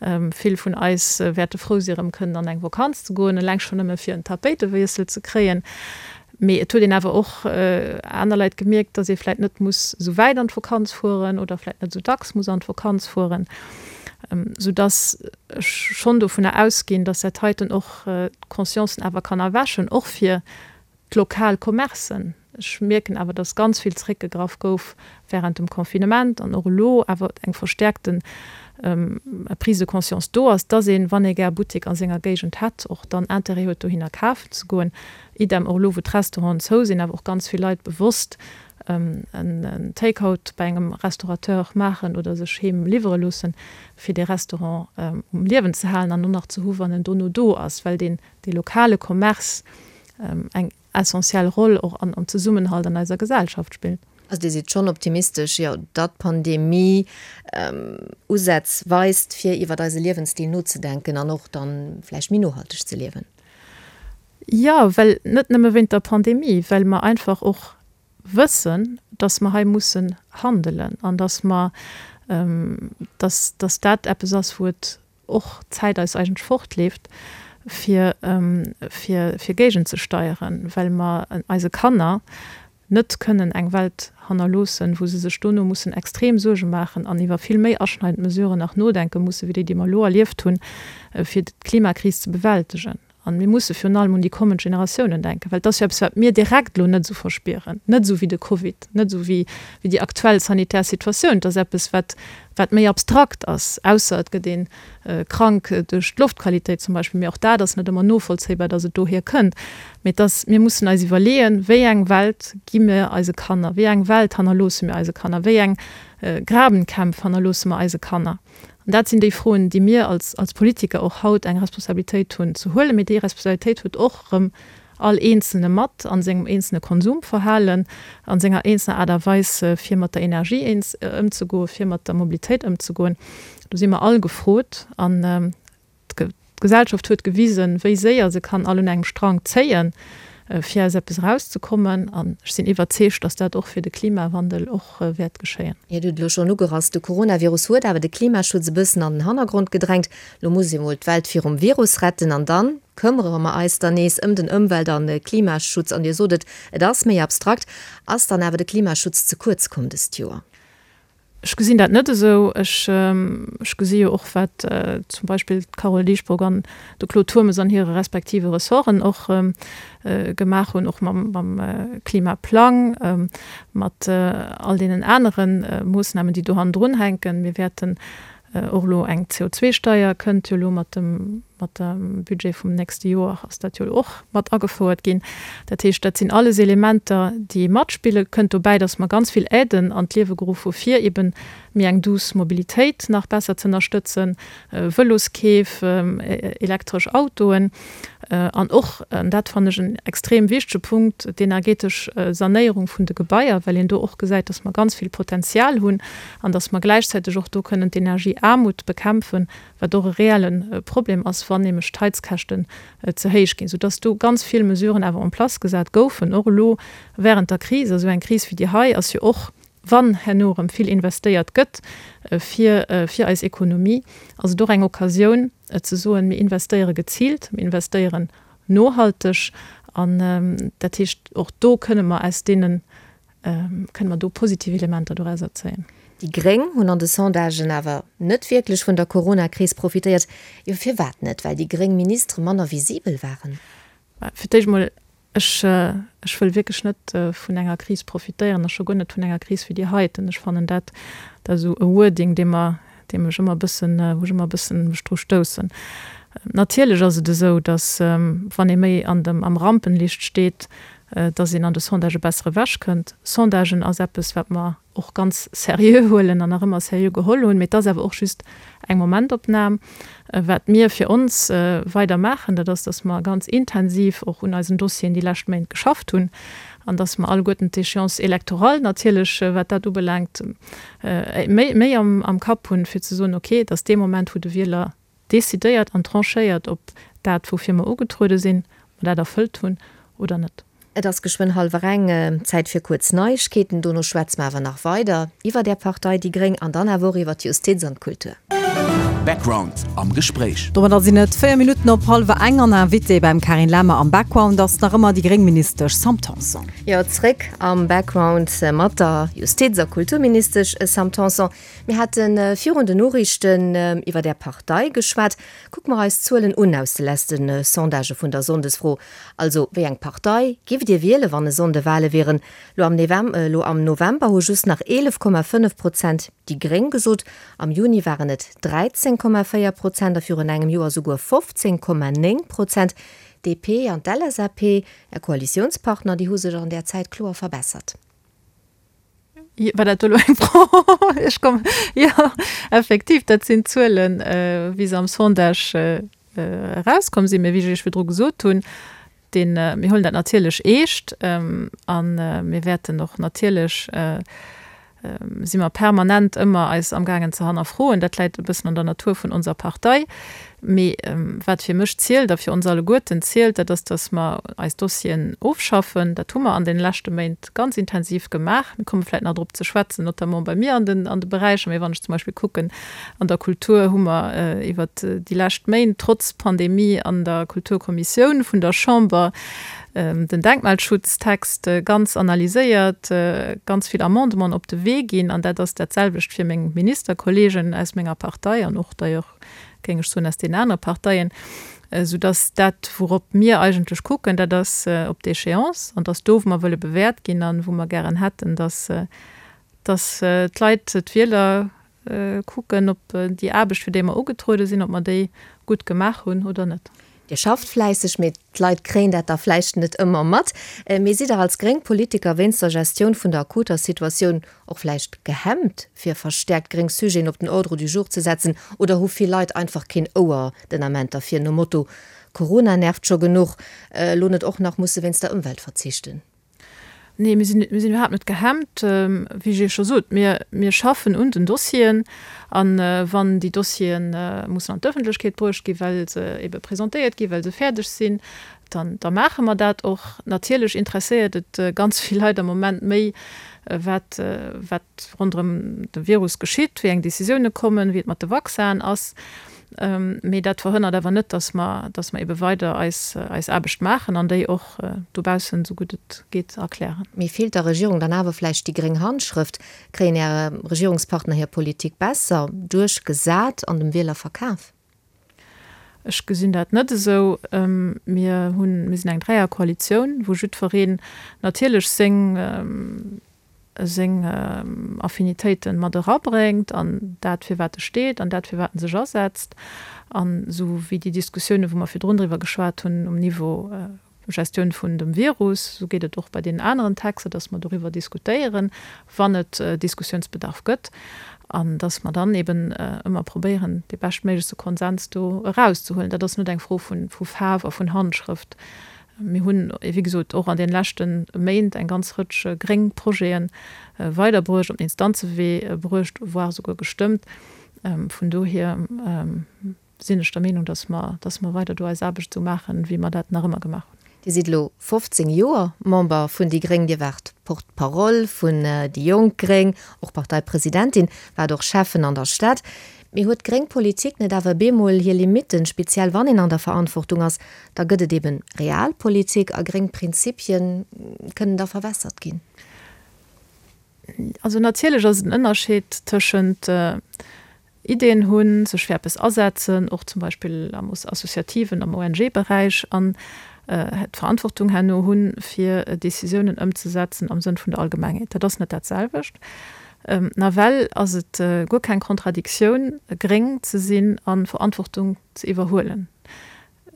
[SPEAKER 4] Vill vun eis wäerte frou si erëm kënnen an eng Vakanz ze goen, eleng schonn nëmme fir en Tapéitewiessel ze kréien. Mee et huet een awer och aner Leit gemierkt, datt ee vläicht net muss esou wäit an d'Vakanz fueren oder vläicht net esou dacks muss an d'Vakanz fueren, soudatt ech schonn dovunner ausginn, datt dat heiten och d'Consciencen awer kann erwächen, och fir d'lokal Commercen. Ech mierken awer, datt ganz vill zréckgegraff gouf während dem Confinement an och elo awer eng verstäerkten Prise de conscience do ass, datt een, wann ee gär e Buttek a senger Géigend hätt, och dann Intérêt huet, dohinner kafen ze goen. Idem och elo, wou d'Restauranten zou sinn, awer och ganz vill Leit bewosst en Take-out bei engem Restaurateur maachen oder sech heem liwwere loossen, fir dee Restaurant um Liewen ze halen an och nach ze hu wann en dono do ass, well deen dee lokale Commerce eng essentiell Roll och an am Zesummenhalt an eiser Gesellschaft spillt.
[SPEAKER 3] Also Dir sidd schonn optimistesch, jo, datt d'Pandemie Usätz weist, fir iwwert eise Liewensstil nozedenken an och dann vläicht méi nohalteg ze liewen?
[SPEAKER 4] Jo, well net nëmme wéint der Pandemie, well mer einfach och wëssen, datt mer hei mussen handelen an datt mer, datt, datt dat eppes ass, wou et och d'Zäit eis eigentlech fortleeft, fir, fir, fir géigenzesteieren, well mer eise Kanner net kënnen eng Welt hannerloossen, wou se sech dono mussen extrem Suerge maachen an iwwer vill méi aschneidend Mesuren nach nodenke mussen, wéi déi, déi mer elo erlieft hunn, fir d'Klimakris ze bewältegen. An mir musse virun allem un déi kommend Generatiounen denken, well et ass jo eppes, wat mir direkt elo net esou verspieren, net esou wéi de Covid, net esou wéi déi aktuell sanitär Situatioun. Et ass eppes, wat, wat méi abstrakt ass, ausser et gëtt ee krank duerch d'Loftqualitéit zum Beispill. Mee och dat ass net ëmmer novollzéibar, datt et dohier kënnt. Mee et ass, mir mussen eis iwwerleeën, wéi eng Welt gi mir eise Kanner, wéi eng Welt hannerloosse mir eise Kanner, wéi eng Grabenkämpf hannerloosse mer eise Kanner? An dat sinn déi Froen, déi mir als, als Politiker och haut eng Responsabilitéit hunn ze huelen. Mee déi Responsabilitéit huet och erëm all Eenzelne mat a sengem eenzelne Konsumverhalen, a senger eenzelner Aart a Weis, fir mat der Energie eens ëmzegoen, fir mat der Mobilitéit ëmzegoen. Do si mer all gefrot. An d'Gesellschaft huet gewisen, wéi séier se kann all un engem Strang zéien, fir aus eppes erauszekommen. An ech sinn iwwerzeegt, dass dat och fir de Klimawandel och wäert geschéien.
[SPEAKER 3] Dir hutt et elo schonn ugerass, de Coronavirus huet awer de Klimaschutz e bëssen an den Hannergrond gedrängt. Elo muss ee mol d'Welt virum Virus retten an dann këmmere mer eis dann nees ëm den Ëmwelt a Klimaschutz. An Dir sot et, et ass méi abstrakt. Ass dann awer de Klimaschutz ze kuerz komm dëst Joer?
[SPEAKER 4] Ech gesinn dat net esou. Ech, ech gesi jo och, wat zum Beispill d'Carole Dieschbourg an de Claude Turmes an hire respektive Ressorten och gemaach hunn, och mam, mam Klimaplang, mat all deenen anere Moossnamen, déi do hannendrun hänken. Mir wäerten Och elo eng C O zwei Steier kënnt jo elo mat dem, mat dem Budget vum nächste Joer ass dat jo elo och mat agefouert ginn. Dat heescht, dat sinn alles Elementer, déi matspillen. Kënnt dobäi, datt mer ganz vill Aiden an d'Liewe geruff hu fir eben méi eng douce Mobilitéit nach besser ze ënnerstëtzen, Vëloskeef, elektresch Autoen an och, an dat fannen ech en extrem wichtege Punkt, d'energetesch Sanéierung vun de Gebaier, well een do och gesäit, dass mer ganz vill Potenzial hunn an dass mer gläichzäiteg och do kënnen d'Energieaarmut bekämpfen, wat och e reelle Problem ass, wann nämlech d'Heizkäschten ze héich ginn, soudass do ganz vill Mesuren awer en place gesat goufen, och elo während der Kris. A sou eng Kris wéi déi hei ass jo och, wann herno erëm vill investéiert gëtt fir fir eis Ekonomie, ass et och eng Occasioun ze soen, mir investéiere geziilt, mir investéieren nohalteg. An dat heescht, och do kënne mer aus deenen, kënne mer do positiv Elementer dorauser zéien.
[SPEAKER 3] Déi Gréng hunn an de Sondagen awer net wierklech vun der Corona-Kris profitéiert. Jo, firwat net? Well déi gréng Ministere manner visibel waren?
[SPEAKER 4] Fir d'éischt emol, ech, ech wëll wierklech net vun enger Kris profitéieren a scho guer net vun enger Kris wéi déi heiten. Ech fannen dat, dat ass esou e Wording, dee mer, deem ech ëmmer e bëssen, wou ech ëmmer e bëssen mech dru stoussen. Natierlech ass et esou, datt, wann ee méi an dem, am Rampenlicht steet, datt een an de Sondagë besser ewechkënnt. Sondagen ass eppes, wat mer och ganz seriö huelen an nach ëmmer seriö geholl hunn, mee et ass awer och just eng Momentopnam. Wat mir fir ons weider maachen, dat ass, datt mer ganz intensiv och un eisen Dossieren déi lescht Méint geschafft hunn an datt mer alleguerten d'Échéance électorale natierlech, wat dat ubelaangt, méi, méi am, am Kapp hunn, fir ze soen, okay, et ass dee Moment, wou de Wieler decidéiert an tranchéiert, ob dat, woufir mer ugetruede sinn, mer dat erfëllt hunn oder net.
[SPEAKER 3] Et ass geschwënn hallwer eng, Zäit fir kuerz Neiegkeeten. Dono schwätze mer awer nach weider iwwer Är Partei déi Gréng an dann awer och iwwer d'Justiz an d'Kultur.
[SPEAKER 1] Background am Gespréich.
[SPEAKER 2] Domadder sinn et véier Minutten op hallwer eng an Invitée beim Carine Lemmer am Background ass nach ëmmer déi gréng Ministesch Sam Tanson.
[SPEAKER 3] Jo, zréck am Background mat der Justiz a Kulturministesch Sam Tanson. Mir hate virun den Noriichten iwwer Är Partei geschwat. Kucke mer eis d'Zuelen un aus de leschte Sondagë vun der Sonndesfro. Also, wéi eng Partei giff Dir wielen, wann e Sonnde Wale wieren? Lo am Elo am November hu just nach eelef Komma fënnef Prozent déi Gréng gesot, am Juni waren et dräizéng Komma véier Prozent a virun engem Joer souguer fofzéng Komma néng Prozent. D P an d'L S A P, Är Koalitiounspartner, déi hu sech an där Zäit kloer verbessert.
[SPEAKER 4] War dat elo eng Fro? Ech komm, jo, effektiv, dat sinn d'Zuelen, wéi se am Sondage erauskomm sinn. Mä wéi ech Iech virdru gesot hunn, deen, mir huelen dat natierlech eescht a mir wäerten och natierlech, si mer permanent ëmmer eis amgaangen ze hannerfroen. Dat läit e bëssen an der Natur vun onser Partei. Mee wat fir mech zielt a fir ons alleguerten zielt, dat ass, dass mer eis Dossieren ofschaffen. Dat hu mer an deene leschte Méint ganz intensiv gemaach. Mir komme vläicht nach drop ze schwätzen, notamment bei mir an den, an de Beräicher. Mee wann ech zum Beispill kucken, an der Kultur hu mer iwwert déi lescht Méint trotz Pandemie an der Kulturkommissioun vun der Chamber den Denkmalschutztext ganz analyséiert, ganz vill Amendementen op de Wee ginn. An dat ass dat selwecht fir meng Ministerkolleegen aus menger Partei an och d'ailleurs, géing ech soen, aus deenen anere Parteien. Soudass dat, wourop mir eigentlech kucken, dat ass op d'Échéance an dass do, wou mer wëlle bewäert ginn an wou mer gären hätten, dass, dass d'Leit, d'Wieler kucken, ob déi Aarbecht, fir déi mer ugetruede sinn, ob mer déi gutt gemaach hunn oder net.
[SPEAKER 3] Dir schafft fläisseg, mee d'Leit kréien dat da vläicht net ëmmer mat. Mee sidd Der als gréng Politiker wéinst der Gestioun vun der akuter Situatioun och vläicht gehemmt, fir verstäerkt gréng Sujeten op den Ordre du jour ze setzen? Oder hu vill Leit einfach keen Ouer den Ament derfir, nom Motto, Corona nervt scho genuch, elo net och nach musse wéinst der Ëmwelt verzichten?
[SPEAKER 4] Nee, mir sinn, mir sinn iwwerhaapt net gehemmt. Wéi ech Iech scho sot, mir, mir schaffen un den Dossieren. A wann déi Dossiere mussen an d'Ëffentlechkeet bruecht ginn, well se ebe presentéiert ginn, well se fäerdeg sinn, dann, da maache mer dat och. Natierlech interesséiert et ganz vill Leit am Moment méi, wat, wat ronderëm de Virus geschitt, wéi eng Décisioune kommen, wéi et mat de Vaccinen ass. Mee dat verhënnert awer net, dass mer, dass mer ebe weider eis, eis Aarbecht maachen an déi och dobaussen, esou gutt et geet, erklären.
[SPEAKER 3] Mee feelt der Regierung dann awer vläicht déi gréng Handschrëft? Kréien Är Regierungspartner hir Politik besser duerchgesat an dem Wieler verkaf?
[SPEAKER 4] Ech gesinn dat net esou. Mir hunn, mir sinn eng Dräierkoalitioun, wou jiddwereen natierlech seng, seng Affinitéiten mat erabréngt an dat fir wat e steet an dat fir wat en sech asetzt. An esou wéi déi Diskussiounen, wou mer virdrun driwwer geschwat hunn um Niveau Gestioun vun dem Virus, esou geet et och bei deenen aneren Texter, dass mer doriwwer diskutéieren, wann et Diskussiounsbedarf gëtt, an dass mer dann eben ëmmer probéieren, dee beschtméiglechste Konsens do erauszehuelen. Dat ass net eng Fro vu Faarf a vun Handschrëft. Mir hunn, wéi gesot, och an deene leschte Méint eng ganz Rëtsch gréng Projete weiderbruecht, op den Instanzewee bruecht, voire esouguer gestëmmt. Vun dohier sinn ech der Meenung, dass mer, dass mer weider do eis Aarbecht esou maachen, wéi mer dat nach ëmmer gemaach hunn.
[SPEAKER 3] Dir sidd elo fofzéng Joer Member vun déi gréng. Dir waart Porte-parole vun déi jonk gréng, och Parteipresidentin, waart och Schäffen an der Stad. Mee huet d'gréng Politik net awer bemol hir Limitten, speziell wann een an der Verantwortung ass? Da gëtt et eben Realpolitik a gréng Prinzipien kënnen da verwässert ginn.
[SPEAKER 4] Also natierlech ass et en Ënnerscheed tëschent Ideeën hunn, sech fir eppes asetzen, och zum Beispill am associativen, am O N G-Beräich, an d'Verantwortung herno hunn, fir Decisiounen ëmzesetzen am Sënn vun der Allgemengheet. Dat ass net dat selwecht. Nawell ass et guer keng Kontradiktioun, gréng ze sinn a Verantwortung ze iwwerhuelen.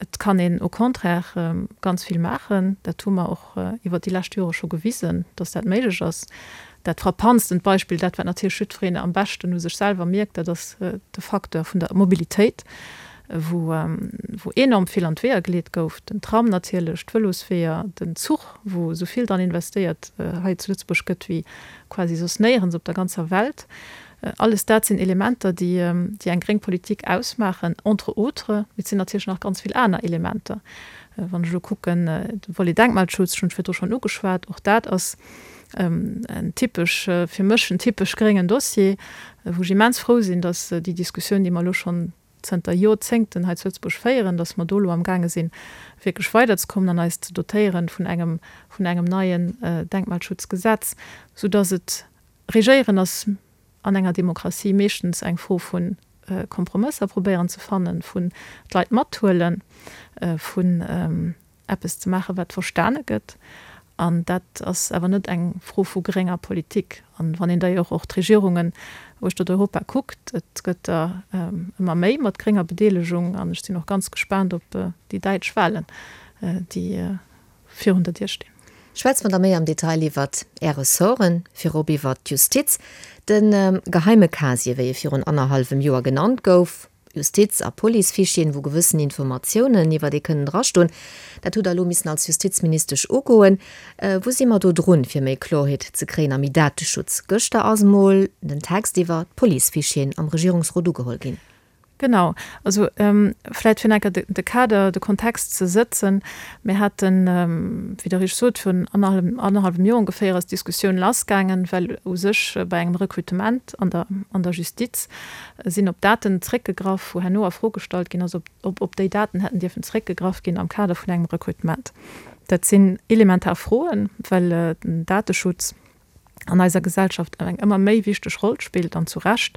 [SPEAKER 4] Et kann een au contraire ganz vill maachen. Dat hu mer och iwwert déi lescht Jore scho gewisen, dass dat méiglech ass. Dat frappantstent Beispill, dat wat natierlech jiddwereen am beschten u sech selwer mierkt, dat ass de Facteur vun der Mobilitéit, wou wou enorm vill an d'Weeër geleet gouf, den Tram natierlech, d'Vëlosweeër, den Zuch, wou esou vill dran investéiert hei zu Lëtzebuerg gëtt wéi quasi soss néierens op der ganzer Welt. Alles dat sinn Elementer, déi déi eng gréng Politik ausmaachen, entre autres. Mee et sinn natierlech nach ganz vill aner Elementer. Wann ech elo kucken, de Volet Denkmalschutz, ech hunn et virdru schonn ugeschwat, och dat ass en typesch, fir mech en typesch gréngen Dossier, wou ech immens frou sinn, datt déi Diskussioun, déi mer elo schonn zënter Jorzéngten hei zu Lëtzebuerg féieren, datt mer do elo amgaange sinn, wierklech weiderzekommen an eis ze dotéieren vun engem, vun engem neien Denkmalschutzgesetz, soudatt et, Regéieren ass an enger Demokratie meeschtens eng Fro vu Kompromësser probéieren ze fannen, vun d'Leit mathuelen, vun eppes ze maachen, wat verstane gëtt. An dat ass awer net eng Fro vu grénger Politik. An wann een da jo och d'Regierungen uechtert Europa kuckt, et gëtt der ëmmer méi mat grénger Bedeelegung. An ech sinn och ganz gespaant op déi däitsch Wahlen, déi virun der Dier stinn.
[SPEAKER 3] Schwätze mer da méi am Detail iwwert Är Ressorten, virop iwwert d'Justiz. De geheime Casier, wéi e virun annerhallwem Joer genannt gouf, Justiz a Policefichieren, wou gewëssen Informatiounen iwwert ee kënnen drastoen, dat hutt Der elo missen als Justizministesch ugoen. Wou si mer do drun, fir méi Kloerheet ze kréien a méi Dateschutz? Gëschter ass emol den Text iwwer d'Policefichieren am Regierungsrot ugeholl ginn.
[SPEAKER 4] Genau, also vläicht fir enker de Kader, de Kontext ze sëtzen. Mir haten, wéi Der richteg sot, virun annerhallwem Joer ongeféier ass d'Diskussioun lassgaangen, well u sech bei engem Rekrutement an der an der Justiz sinn op Daten zréckgegraff, wou herno a Fro gestallt ginn ass, ob op déi Daten hätten dierfen zréckgegraff ginn am Kader vun engem Rekrutement. Dat sinn elementar Froen, well den Dateschutz an eiser Gesellschaft eng ëmmer méi wichteg Roll spillt, an zu Recht.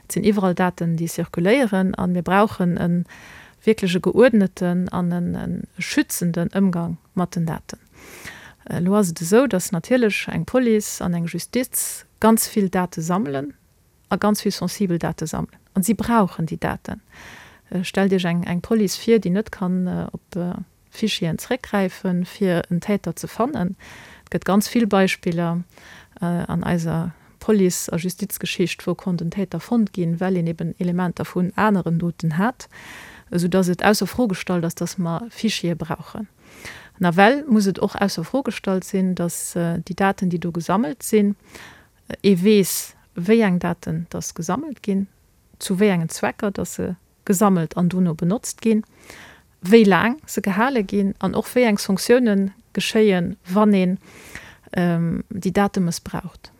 [SPEAKER 4] Et sinn iwwerall Daten, déi zirkuléieren, a mir brauchen e wierklech e geuerdneten an e schützenden Ëmgang mat den Daten. Elo ass et esou, dass natierlech eng Police an eng Justiz ganz vill Date sammelen a ganz vill sensibel Date sammelen. An si brauchen déi Daten. Stellt Iech eng Police vir, déi net kann op Fichieren zréckgräifen, fir en Täter ze fannen. Et gëtt ganz vill Beispiller an eiser Police a Justizgeschicht, wou konnt en Täter fonnt ginn, well een eben Elementer vun aneren Doten hat, esou dass et ausser Fro gestallt ass, dass mer Fichiere brauchen. Nawell muss et och ausser Fro gestallt sinn, dass déi Daten, déi do gesammelt sinn, ee weess, wéi eng Daten dass gesammelt ginn, zu wéi engen Zwecker dass se gesammelt an dono benotzt ginn, wéi laang se gehale ginn an och wéi eng Sanktiounen geschéien, wann een déi Date mëssbraucht.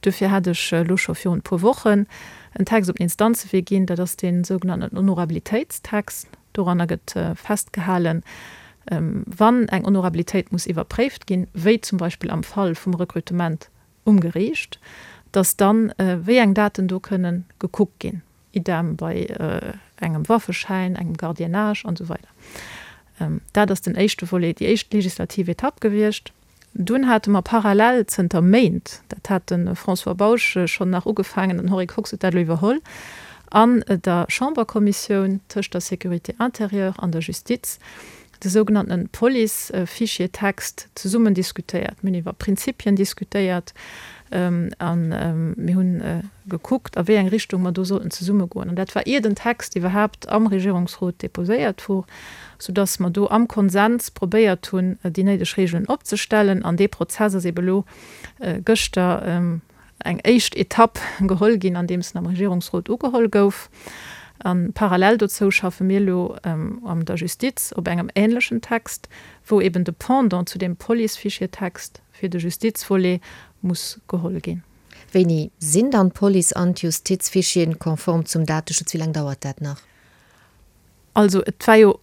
[SPEAKER 4] Duerfir hat ech elo scho virun e puer Wochen en Text op den Instanzewee ginn, dat ass dee sougenannten Honorabilitéitstext. Doranner gëtt festgehalen, wann eng Honorabilitéit muss iwwerpréift ginn, wéi zum Beispill am Fall vum Rekrutement um Geriicht, dass dann wéi eng Daten do kënnen gekuckt ginn, idem bei engem Waffeschäin, engem Gardiennage an esou weider. Dat ass den éischte Volet, déi éischt legislativ Etapp gewiescht. Dunn hate mer parallel zënter Méint, dat hat de François Bausch schonn nach ugefaangen, den Henri Kox huet dat elo iwwerholl, an der Chamberkommissioun tëscht der Sécurité intérieure an der Justiz de sougenannten Police-Fichier-Text zesummen diskutéiert. Mir hunn iwwer Prinzipien diskutéiert a mir hunn gekuckt, a wéi eng Richtung mer do sollten zesumme goen. An dat war ier den Text iwwerhaapt am Regierungsrot deposéiert wor, soudass mer do am Konsens probéiert hunn, déi néideg Regeln opzestellen. An dee Prozess ass eebe lo gëschter eng éischt Etapp geholl ginn, andeems en am Regierungsrot ugeholl gouf. A parallel dozou schaffe mir elo an der Justiz op engem ähnlechen Text, wou eben de Pendant zu deem Police-Fichier-Text fir de Justizvolet muss geholl ginn.
[SPEAKER 3] Wéini sinn dann d'Police an d'Justizfichieren konform zum Dateschutz? Wéi laang dauert dat nach?
[SPEAKER 4] Also et war jo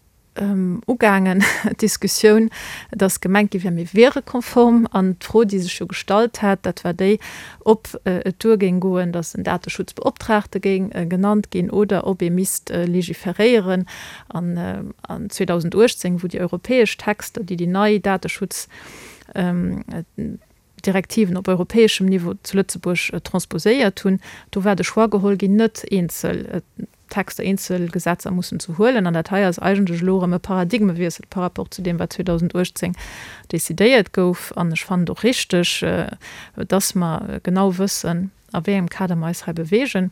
[SPEAKER 4] ugaangen, d'Diskussioun, dass gemengt gi wär, mir wiere konform. An d'Fro, déi sech jo gestallt hat, dat war déi, ob et duer géing goen, dass en Dateschutzbeoptraagte géing genannt ginn oder ob ee misst legiferéieren. An zweedausenduechtzéng, wou déi europäesch Texter, déi déi nei Dateschutzdirektiven op europäeschem Niveau zu Lëtzebuerg transposéiert hunn, do war de Choix geholl ginn, net eenzel Texter, eenzel Gesetzer mussen ze huelen. An dat hei ass eigentlech elo erëm e Paradigmewiessel par rapport zu deem, wat zweedausenduechtzéng decidéiert gouf. An ech fannen et och richteg, dass mer genau wëssen, a wéi engem Kader mer eis hei beweegen.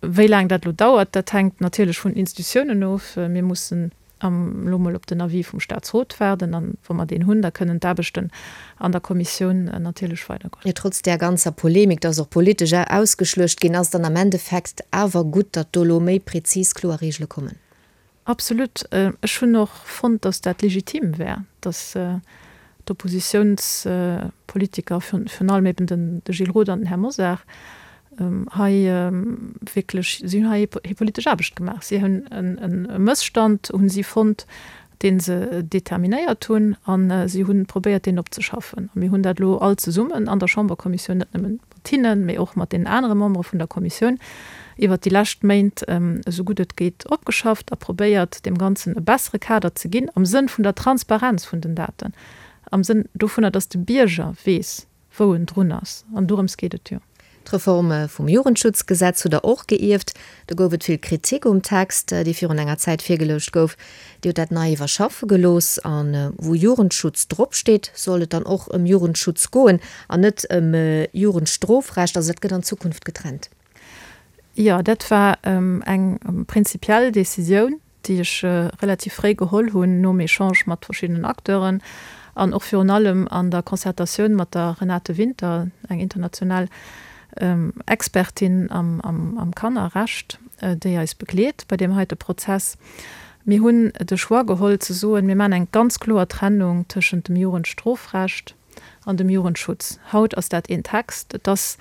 [SPEAKER 4] Wéi laang dat elo dauert, dat hänkt natierlech vun den Institutiounen of. Mir mussen elo mol op den Avis vum Statsrot waarden an wa mer deen hunn, da kënnen d'Aarbechten an der Kommissioun natierlech weidergoen.
[SPEAKER 3] Jo, trotz där ganzer Polemik, dass och politesch ausgeschluecht ginn ass, dann am Endeffekt awer gutt, datt do elo méi prezis, kloer Regele kommen.
[SPEAKER 4] Absolut. Ech hunn och fonnt, dass dat legitim wär, dass d'Oppositiounspolitiker, virun allem eben de Gilles Roth an den Här Mosar, hei wierklech, si hunn hei hir politesch Aarbecht gemaach. Si hunn e Mësstand, hu si fonnt, dee se determinéiert hunn, a si hu probéiert, deen opzeschaffen. A mir hunn dat elo all zesummen an der Chamberkommissioun, net nëmme mat hinnen, mee och mat deenen anere Membere vun der Kommissioun, iwwert déi lescht Méint esou gutt et geet opgeschafft a probéiert, deem Ganzen e bessere Kader ze ginn am Sënn vun der Transparenz vun den Daten, am Sënn dovunner, datt de Bierger weess, wou en drun ass. An dorëms geet et jo.
[SPEAKER 3] D'Reform vum Jugendschutzgesetz hutt Der och geierft. Do gouf et vill Kritik um Text, dee virun enger Zäit virgeluecht gouf. Dir hutt dat nei iwwerschaffe gelooss. A wou Jugendschutz dropsteet, soll et dann och ëm Jugendschutz goen an net ëm Jugendstrofrecht. Also dat gëtt an Zukunft getrennt.
[SPEAKER 4] Jo, dat war eng prinzipiell Decisioun, déi ech relativ fréi geholl hunn, nom Echange mat verschiddenen Acteuren an och virun allem an der Concertatioun mat der Renate Winter, eng international Expertin am Kannerrecht, déi eis begleet bei deem heite Prozess. Mir hunn de Choix geholl ze soen, mir maachen eng ganz kloer Trennung tëschent dem Jugendstrofrecht an dem Jugendschutz. Haut ass dat een Text. Et ass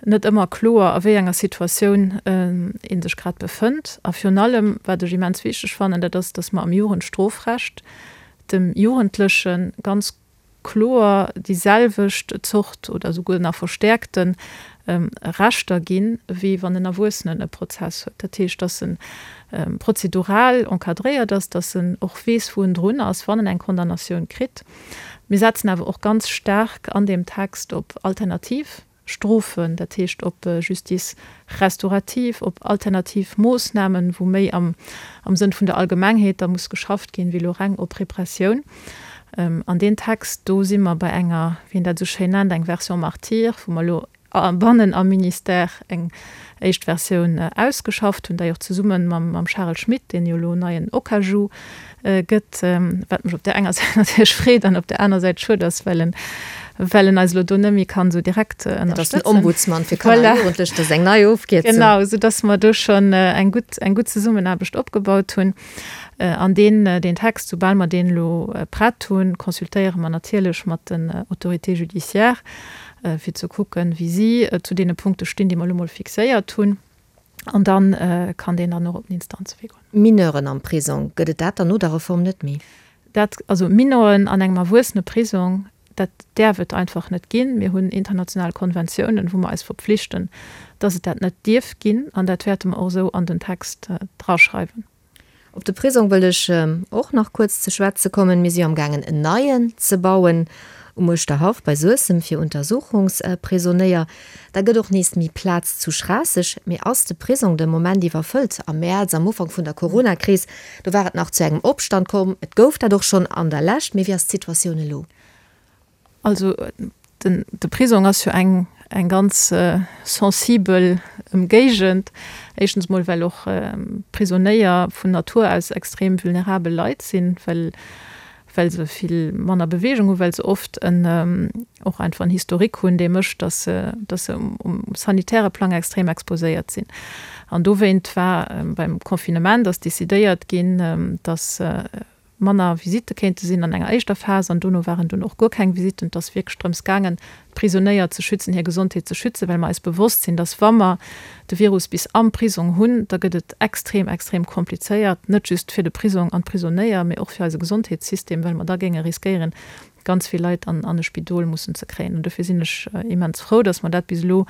[SPEAKER 4] net ëmmer kloer, a wéi enger Situatioun ee sech grad befënnt. A virun allem, wat ech immens wichteg fannen, dat ass, dass mer am Jugendstrofrecht dem Jugendleche ganz kloer déi selwecht Zort oder souguer nach verstäerkte Rechter ginn, wéi wann en Erwuessenen e Prozess huet. Dat heescht, dass e prozedural encadréiert ass, dass en och weess, wou en drun ass, wann en eng Condamnatioun kritt. Mir setzen awer och ganz staark an deem Text op alternativ Strofen, dat heescht op Justice restaurative, op alternativ Moossnamen, wou méi am Sënn vun der Allgemengheet da muss geschafft ginn, wéi elo reng op Repressioun. An deen Text, do si mer bei enger, wéi een dat esou schéin nennt, eng Version martyre, wou mer elo bannen am Ministère eng éischt Versioun ausgeschafft hunn, déi och zesumme mam Charel Schmit, deen jo elo neien OCAJU gëtt, wat mech op där enger Säit natierlech freet an op där aner Säit schued ass, well en well en eis elo do net méi kann esou direkt ënnerstëtzen.
[SPEAKER 3] Dat ass den Ombudsman fir Kanner a Jugendlech, dat ass eng nei Ofkierzung.
[SPEAKER 4] Genau, soudass mer do schonn eng gutt, eng gutt Zesummenaarbecht opgebaut hunn. An deen, deen Text, soubal mer deen elo prett hunn, consultéiere mer natierlech mat den Autorités judiciaires, fir ze kucken, wéi si zu deene Punkte stinn, déi mer elo mol fixéiert hunn. An da kann deen dann och op den Instanzewee goen.
[SPEAKER 3] Mineuren am Prisong, gëtt et dat dann no der Reform net méi?
[SPEAKER 4] Dat, also Mineuren an engem Erwuesseneprisong, dat däerf et einfach net ginn. Mir hunn international Konventiounen, wou mer eis verpflichten, dass et dat net dierf ginn. An dat wäerte mer och esou an den Text draschreiwen.
[SPEAKER 3] Op de Prisong wëll ech och nach kuerz ze schwätze kommen. Mir si jo amgaangen en neien ze bauen um Uerschterhaff bei Suessem fir Untersuchungsprisonéier. Da gëtt och nees méi Plaz zu Schraasseg. Mee ass de Prisong de Moment iwwerfëllt? Am Mäerz, am Ufank vun der Coronakris, do war et nach zu engem Opstand komm. Et gouf dat och schonn an der Lescht. Mee wéi ass d'Situatioun elo?
[SPEAKER 4] Also den, de Prisong ass jo eng, eng ganz sensibel Ëmgéigend. Éischtens mol, well och Prisonéier vun Natur aus extrem vulnerabel Leit sinn, well, well se vill manner Beweegung hunn, well se oft en, och einfach en Historique hunn, dee mécht, datt se, datt se um, um sanitäre Plang extrem exposéiert sinn. An dowéint war beim Confinement ass decidéiert ginn, datt manner Visitte kéinte sinn an enger éischter Phas an dono waren dunn och guer keng Visitten. Et ass wierklech drëms gaangen, d'Prisonéier ze schützen, hir Gesondheet ze schützen, well mer eis bewosst sinn, dass wa mer de Virus bis am Prisong hunn, da gëtt et extrem, extrem komplizéiert, net just fir de Prisong an d'Prisonéier, mee och fir eise Gesondheetssystem, well mer da géinge riskéieren, ganz vill Leit an an e Spidol mussen ze kréien. An dofir sinn ech immens frou, dass mer dat bis elo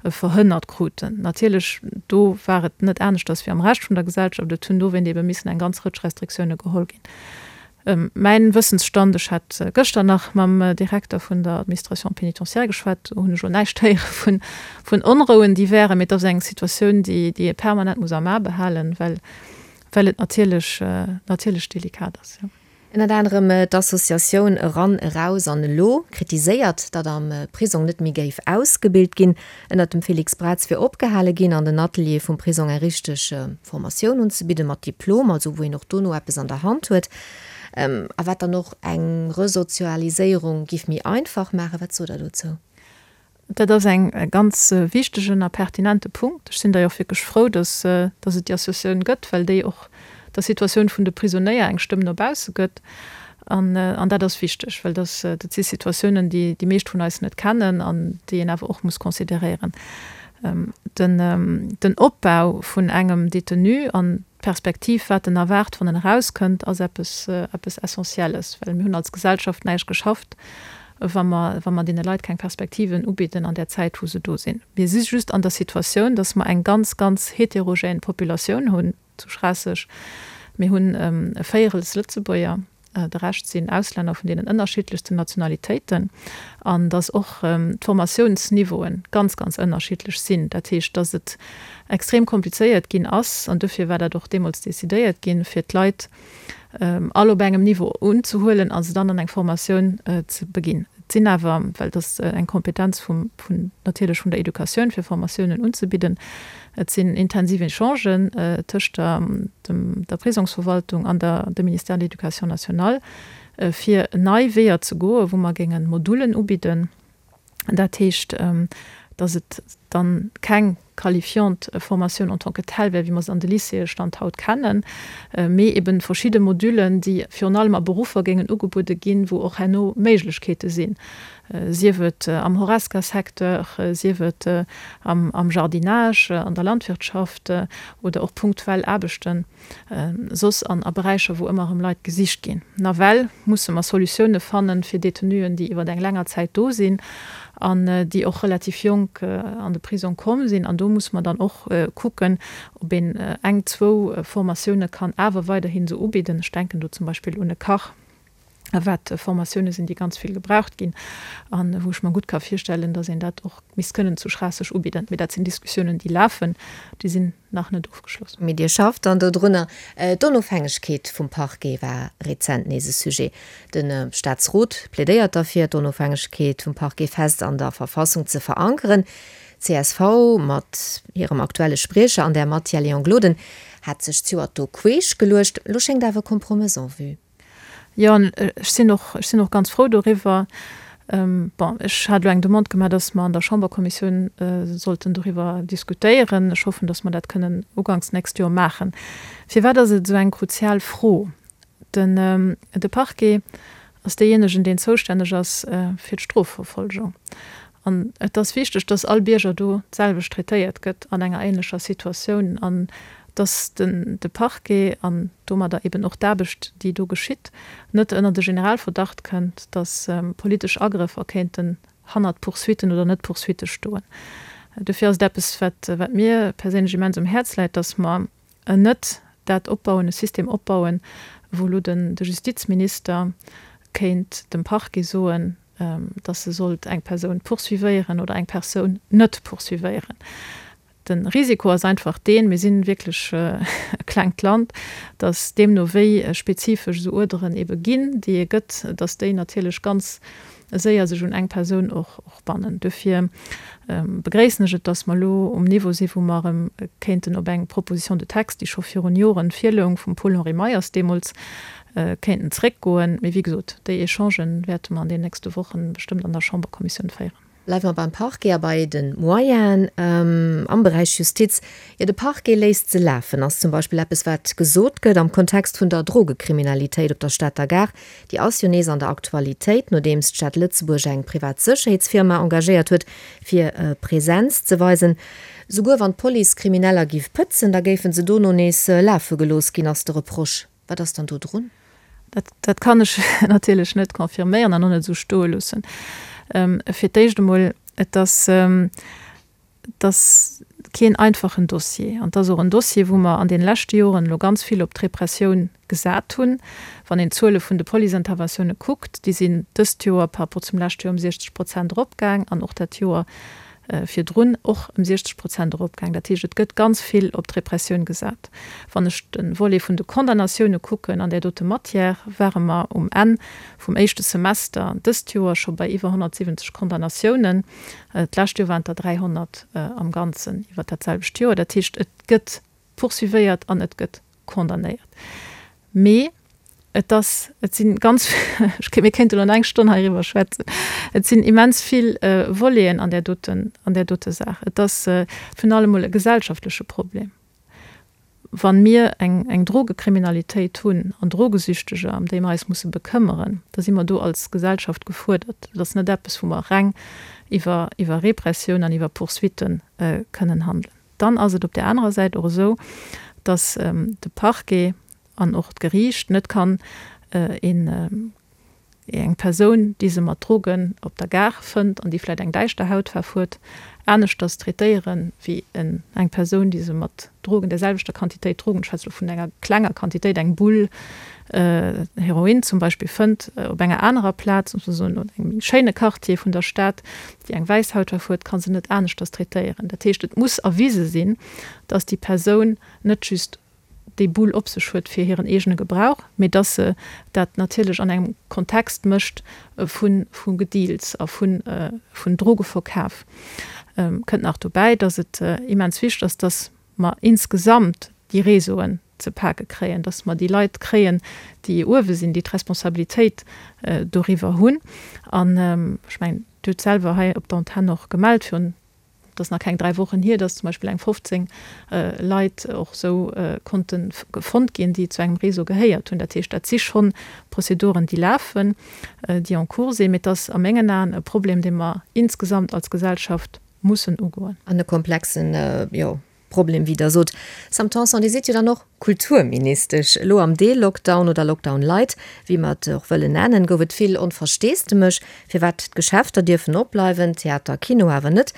[SPEAKER 4] verhënnert kruten. Natierlech, do war et net aneschters wéi am Rescht vun der Gesellschaft. Et hunn dowéint ebe missen eng ganz Rëtsch Restriktioune geholl ginn. Mäin Wëssensstand, ech hat gëschter nach mam Direkter vun der Administration pénitentiaire geschwat, do hunn ech elo näischt héiere vun vun Onrouen, déi wären, mee et ass eng Situatioun, déi déi ee permanent muss am A behalen, well well et natierlech natierlech delikat ass, jo.
[SPEAKER 3] Ënnert anerem d'Associatioun Eran, Eraus an Elo kritiséiert, datt am Prisong net méi géif ausgebilt ginn. Ënnert dem Félix Braz wier opgehale ginn, an den Ateliere vum Prisong eng richteg Formatioun unzebidden, mat Diplom, also wou een och dono eppes an der Hand huet, a wat dann och eng Resozialiséierung géif méi einfach maachen. Wat sot Der dozou?
[SPEAKER 4] Dat ass eng ganz wichtegen a pertinente Punkt. Ech sinn da jo och wierklech frou, dass, dass et déi Associatioun gëtt, well déi och der Situatioun vun de Prisonéier eng Stëmm no bausse gëtt. An, an dat ass wichteg, well dass, dat si Situatiounen, déi déi meescht vun eis net kennen an déi een awer och muss consideréieren. Den, den Opbau vun engem Détenu an d'Perspektiv, wat en erwaart, wann en erauskënnt, ass eppes, eppes Essentielles, well mir hunn als Gesellschaft näischt geschafft, wa mer, wa mer deene Leit keng Perspektiven ubidden an där Zäit, wou se do sinn. Mir si just an der Situatioun, dass mer eng ganz, ganz heterogène Populatioun hunn zu Schraasseg. Mir hunn e Véierels Lëtzebuerger, de Rescht sinn Auslänner vun deenen ënnerschiddlechsten Nationalitéiten, an dass och d'Formatiounsniveaue ganz, ganz ënnerschiddlech sinn. Dat heescht, dass et extrem komplizéiert ginn ass, an dofir war dat och deemools decidéiert ginn, fir d'Leit all op engem Niveau unzehuelen a se dann an eng Formatioun ze beginn. Et sinn awer, well et ass eng Kompetenz vum, vun, natierlech vun der Educatioun, fir Formatiounen unzebidden, et sinn intensiv Echangen tëscht der, dem, der Prisongsverwaltung an der, dem Ministère de l'Éducation nationale, fir nei Weeër ze goen, wou mer géinge Modulen ubidden. Dat heescht, dass et dann keng qualifiant Formatioun en tant que telle wär, wéi mer se an de Lycéeë Stand haut kennen, mee eben verschidde Modulen, déi virun allem a Beruffer géingen ugebuede ginn, wou och herno Méiglechkeete sinn, sief et am Horesca-Secteur, sief et am Jardinage, an der Landwirtschaft oder och punktuell Aarbechten soss an a Beräicher, wou ëmmer erëm Leit gesicht ginn. Nawell musse mer Solutioune fannen fir Detenuen, déi iwwer eng länger Zäit do sinn an déi och relativ jonk an de Prisong komm sinn. An do musse mer dann och kucken, ob een eng, zwou Formatioune kann awer weiderhin esou ubidden. Ech denken do zum Beispill un e Kach, wat Formatioune sinn, déi ganz vill gebraucht ginn a wou ech mer gutt ka virstellen, datt een dat och misst kënnen zu Schraasseg ubidden. Mee dat sinn Diskussiounen, déi lafen, déi sinn nach net ofgeschloss.
[SPEAKER 3] Mee Dir schafft dann dodrunner. D'Onofhängegkeet vum Parquet war rezent nees e Sujet. De Staatsrot plädéiert derfir, d'Onofhängegkeet vum Parquet fest an der Verfassung ze verankeren. D'CSV mat hirem aktuelle Spriecher an där Matière, Léon Gloden, hat sech zejoert do queesch geluecht. Elo schéngt awer e Kompromëss en vue.
[SPEAKER 4] Jo, an ech sinn och, ech sinn och ganz frou doriwwer. Bon, ech hat elo eng Demande gemaach, dass mer an der Chamberkommissioun sollten doriwwer diskutéieren. Ech hoffen, dass mer dat kënnen uganks d'nächst Joer maachen. Firwat ass et esou eng kruzial Fro? Den, de Parquet ass deejéinegen, deen zoustänneg ass fir d'Strofverfolgung. An et ass wichteg, dass all Bierger do d'selwecht traitéiert gëtt an enger ähnlecher Situatioun an dass den, de Parquet an domadder eben och d'Aarbecht, déi do geschitt, net ënner de Generalverdacht kënnt, dass politesch Agrëffer kéinten hannert Poursuitten oder Net-Poursuitte stoen. Dofir ass et eppes, wat, wat mir perséinlech immens um Häerz läit, dass mer net dat opbauen, e System opbauen, wou elo den, de Justizminister kéint dem Parquet soen, dass e sollt eng Persoun poursuivéieren oder eng Persoun net poursuivéieren. De Risiko ass einfach deen, mir si wierklech e klengt Land, dass deemno wéi spezifesch esou Uerderen ebe ginn, déi e gëtt, dass déi natierlech ganz séier sech un eng Persoun och bannen. Dofir begréissen ech et, dass mer elo um Niveau sinn, wou mer erëm kéinten op eng Proposition de texte, déi scho virun Joren virloung, vum Paul-Henri Meyers deemools, kéinten zréckgoen. Mee wéi gesot, déi Echangen wäerte mer an den nächste Wochen bestëmmt an der Chamberkommissioun féieren.
[SPEAKER 3] Bleiwe mer beim Parquet a bei de Moyenen am Beräich Justiz. Jo, de Parquet léisst se lafen, ass zum Beispill eppes, wat gesot gëtt am Kontext vun der Drogekriminalitéit op der Stater Gare. Déi ass jo nees an der Aktualitéit, nodeems d'Stad Lëtzebuerg eng privat Sécherheetsfirma engagéiert huet, fir Presenz ze weisen. Souguer wann d'Police Krimineller giff pëtzen, da géife se dono nees lafe gelooss ginn, ass de Reproche. Wat ass dann do drun?
[SPEAKER 4] Dat, dat kann ech natierlech net confirméieren an och net esou stoe loossen. Fir d'éischt emol, et ass, et ass keen einfachen Dossier. An et ass och en Dossier, wou mer an deene leschte Joren elo ganz vill op d'Repressioun gesat hunn. Wann een d'Zuele vun de Policeinterventioune kuckt, déi sinn dëst Joer par rapport zum leschte Joer ëm siechzeg Prozent eropgaang an och dat Joer virdrun och ëm siechzeg Prozent eropgaang. Dat heescht, et gëtt ganz vill op d'Repressioun gesat. Wann ech de Volet vun de Condamnatioune kucken an där dote Matière, ware mer um Enn vum éischte Semester dëst Joer scho bei iwwer honnertsiwwenzeg Condamnatiounen. D'lescht Joer waren et der dräihonnert am Ganzen iwwer dat selwecht Joer. Dat heescht, et gëtt poursuivéiert an et gëtt condamnéiert. Mee et ass, et si ganz, mir kéinte elo nach eng Stonn heiriwwer schwätzen, et sinn immens vill Voleten an där doten, an där dote Saach. Et ass virun allem emol e gesellschaftleche Problem. Wa mir eng, eng Drogekriminalitéit hunn an Drogesüchteger, ëm déi mer eis musse bekëmmeren, da si mer do als Gesellschaft gefuerdert. Et ass net eppes, wou mer reng iwwer, iwwer Repressioun an iwwer Poursuitte kënnen handelen. Dann ass et op där anerer Säit och esou, dass de Parquet an och d'Geriicht net kann een, eng Persoun, déi se mat Drogen op der Gare fënnt an déi vläicht eng däischter Hautfaarf huet, aneschters traitéieren wéi eng Persoun, déi se mat Drogen, där selwechter Quantitéit Drogen, ech schwätze elo vun enger klenger Quantitéit, eng Bull Heroin zum Beispill, fënnt op enger anerer Plaz, muss mer soen, an engem méi schéine Quartier vun der Stad, déi eng wäiss Hautfaarf huet, ka se net aneschters traitéieren. Dat heescht, et muss erwise sinn, dass déi Persoun net just déi Bull op sech huet fir hiren eegene Gebrauch, mee dass se dat natierlech an engem Kontext mécht vu vu Gedeals a vu vun Drogeverkaf. Kënnt nach dobäi, dass et immens wichteg ass, dass mer insgesamt déi Réseauen ze pake kréien, dass mer déi Leit kréien, déi uewe sinn, déi d'Responsabilitéit doriwwer hunn. An ech mengen, Dir hutt selwer hei op der Antenn och gemellt virun Et ass nach keng dräi Wochen hier, dass zum Beispill eng fofzéng Leit och esou konnte fonnt ginn, déi zu engem Réseau gehéiert hunn. Dat heescht, dat si schonn Prozeduren, déi lafen, déi en cours sinn. Mee et ass a mengen Aen e Problem, dee mer insgesamt als Gesellschaft mussen ugoen.
[SPEAKER 3] An e komplexen, jo, Problem, wéi Der sot. Sam Tanson, Dir sidd jo dann och Kulturministesch. Elo am Deel-Lockdown oder Lockdown light, wéi mer et och wëllen nennen, gouf et vill Onversteesdemech, firwat d'Geschäfter dierfen opbleiwen, Theater, Kino awer net.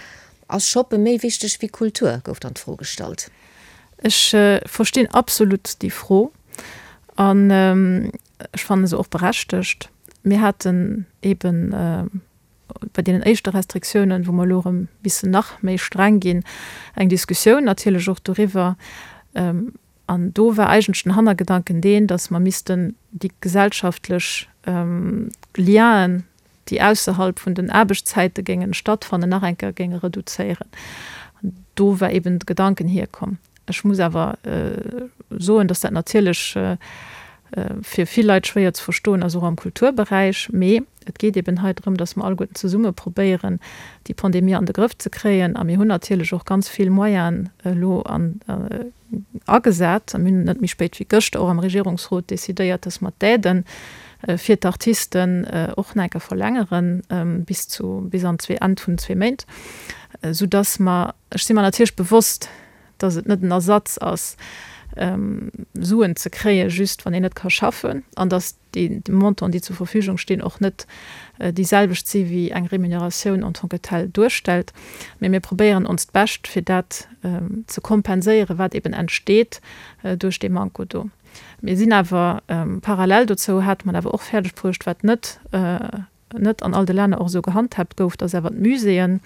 [SPEAKER 3] Ass Shoppe méi wichteg wéi Kultur, gouf dann d'Fro gestallt.
[SPEAKER 4] Ech verstinn absolut déi Fro an ech fanne se och berechtegt. Mir haten eeben bei deenen éischte Restriktiounen, wou mer elo erëm missen nach méi streng ginn, eng Diskussioun natierlech och doriwwer. An do war eigentlech den Hannergedanken deen, datt mer missten déi gesellschaftlech Lienen, déi ausserhalb vun den Aarbechtszäite géingen stattfannen, nach eng Kéier géinge reduzéieren. Do war eben de Gedanken hierkomm. Ech muss awer soen, datt dat natierlech fir vill Leit schwéier ze verstoen ass, och am Kulturberäich. Mee et geet eben hei drëm, datt mer alleguerten zesumme probéieren, déi Pandemie an de Grëff ze kréien. A mir hunn natierlech och ganz vill Moyenen elo agesat. A mir hunn net méi spéit wéi gëschter och am Regierungsrot decidéiert, datt mer d'Aiden fir d'Artisten och nach eng Kéier verlängeren bis zu, bis an zwee, Enn vun zwee Méint, soudatt mer, ech si mer natierlech bewosst, datt et net en Ersatz ass, Suen ze kréien, just wann een net ka schaffen, an datt déi Montanten, déi zur Verfügung stinn, och net déi selwecht si wéi eng Remuneratioun en tant que telle duerstellt. Mee mir probéieren onst Bescht, fir dat ze kompenséieren, wat eben entsteet duerch dee Manko do. Mir sinn awer parallel dozou, hate mer et awer och fäerdeg bruecht, wat net net an all de Länner och esou gehandhaabt gouf, dass awer d'Muséeën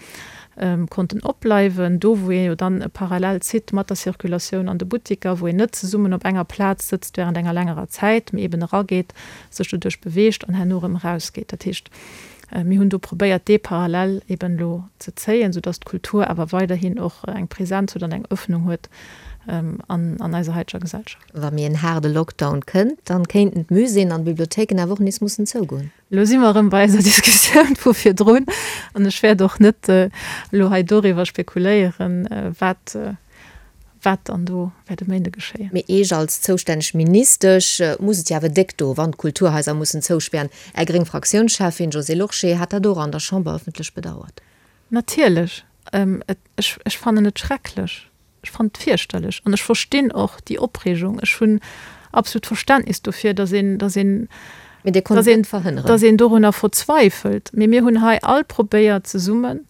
[SPEAKER 4] konnten opbleiwen, do wou ee jo dann e Parallel zitt mat der Circulatioun an de Buttiker, wou een net zesummen op enger Plaz sëtzt während enger längerer Zäit, mee eben erageet, sech doduerch beweegt an herno erëm erausgeet. Dat heescht, mir hunn do probéiert, dee Parallel eben elo ze zéien, soudass d'Kultur awer weiderhin och eng Präsenz huet an eng Öffnung huet an eiser haiteger Gesellschaft.
[SPEAKER 3] Wa méi en haarde Lockdown kënnt, dann kéinten d'Muséeën an d'Bibliothéiken awer och nees mussen zougoen.
[SPEAKER 4] Elo si mer erëm bei eiser Diskussioun vu virdrun an ech wäert och net elo hei doriwwer spekuléieren, wat wat dann do wäert e Méinde geschéien.
[SPEAKER 3] Mee Iech als zoustänneg Ministesch muss et jo awer déck do, wann d'Kulturhaiser mussen zouspären. Är gréng Fraktiounscheffin Josée Lorsché hat dat och an der Chamber ëffentlech bedauert.
[SPEAKER 4] Natierlech. Ech, ech fannen et schrecklech. Ech fannen et fierchterlech. An ech verstinn och déi Opreegung. Ech hunn absolut Verständnis dofir, datt een, datt een,
[SPEAKER 3] Mee Dir konnt et net verhënneren.
[SPEAKER 4] datt een dorunner verzweifelt. Mee mir hunn hei all probéiert zesummen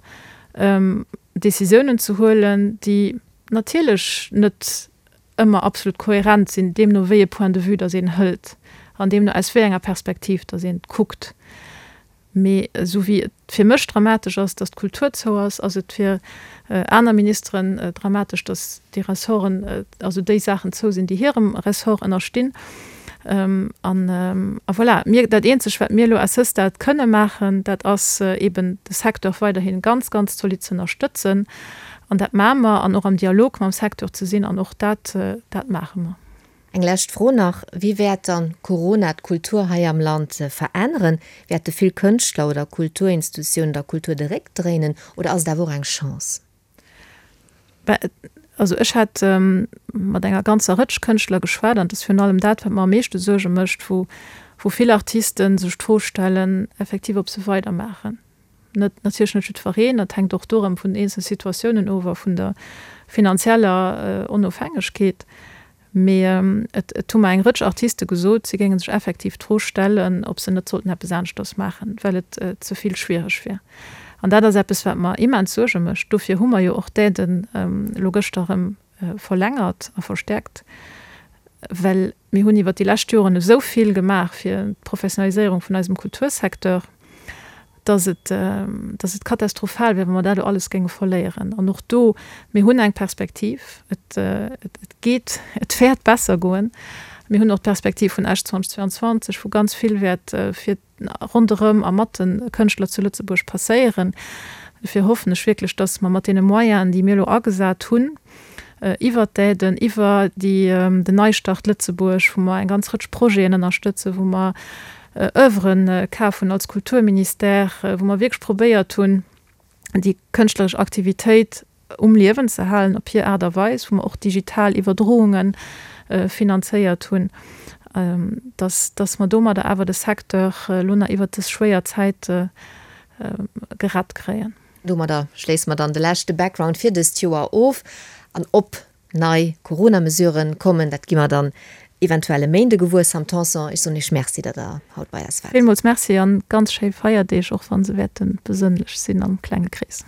[SPEAKER 4] Décisiounen ze huelen, déi natierlech net ëmmer absolut kohärent sinn, deemno wéi e Point de vue datt een hëlt an deemno aus wéi enger Perspektiv datt een kuckt. Mee esou wéi et fir mech dramatesch ass, datt d'Kultur zou ass, ass et fir aner Ministeren dramatesch, datt déi Ressorten, also déi Saachen zou sinn, déi hirem Ressort ënnerstinn. An a voilà, mir, dat Eenzegt, wat mir elo à ce stade kënne maachen, dat ass eeben de Secteur weiderhi ganz, ganz zolidd ze ënnerstëtzen. An dat maache mer, an och am Dialog mam Secteur ze sinn, an och dat, dat maache mer.
[SPEAKER 3] Eng lescht Fro nach, Wéi wäert dann Corona d'Kultur hei am Land veränneren? Wäerte vill Kënschtler oder Kulturinstitutiounen der Kultur de Réck dréinen oder ass et awer och eng Chance?
[SPEAKER 4] Also ech hat mat enger ganzer Rëtsch Kënschtler geschwat an et ass virun allem dat, wat mer am meeschte Suerge mécht, wou vill Artiste sech d'Fro stellen, effektiv ob se weidermaachen. Net, natierlech net jiddwereen, dat hänkt och do erëm vun den eenzele Situatiounen of a vun der finanzieller Onofhängegkeet. Mee et, et hu mer eng Rëtsch Artiste gesot, si géinge sech effektiv d'Fro stellen, ob se net sollten eppes aneschters maachen, well et ze vill schwiereg wier. An dat ass eppes, wat mer immens Suerge mécht. Dofir hu mer jo och d'Aiden elo gëschter erëm verlängert a verstäerkt, well mir hunn iwwert déi lescht Joren esou vill gemaach fir d'Professionaliséierung vun eisem Kultursecteur, dass et, dass et katastrophal wär, wa mer dat elo alles géinge verléieren. An och do, mir hunn eng Perspektiv, et, et geet, et wäert besser goen. Mir hunn och d'Perspektiv vun Esch zweitausendzweiundzwanzeg, wou ganz vill wäert fir ronderëm a mat de Kënschtler zu Lëtzebuerg passéieren. Dofir hoffen ech wierklech, dass mer mat deene Moyenen, déi mir elo agesat hunn, iwwert d'Aiden, iwwer déi, den Neistart Lëtzebuerg, wou mer eng ganz Rëtsch Projeten ënnerstëtzen, wou mer Oeuvren kaf hunn als Kulturministère, wou mer wierklech probéiert hunn, déi kënschtleresch Aktivitéit um Liewen ze halen op hir Aart a Weis, wou mer och digital Iwwerdrounge finanzéiert hunn, dass, dass mer domadder awer de Secteur elo nach iwwert dës schwéier Zäit gerett kréien.
[SPEAKER 3] Domadder schléisse mer dann de leschte Background fir dëst Joer of. An ob nei Corona-Mesuren kommen, dat gi mer dann eventuell e Méinde gewuer. Sam Tanson, ech soen Iech Merci, datt Der haut bei eis waart.
[SPEAKER 4] Villmools Merci an ganz schéi Feierdeeg, och wa se wäerte besënnlech sinn am klenge Krees.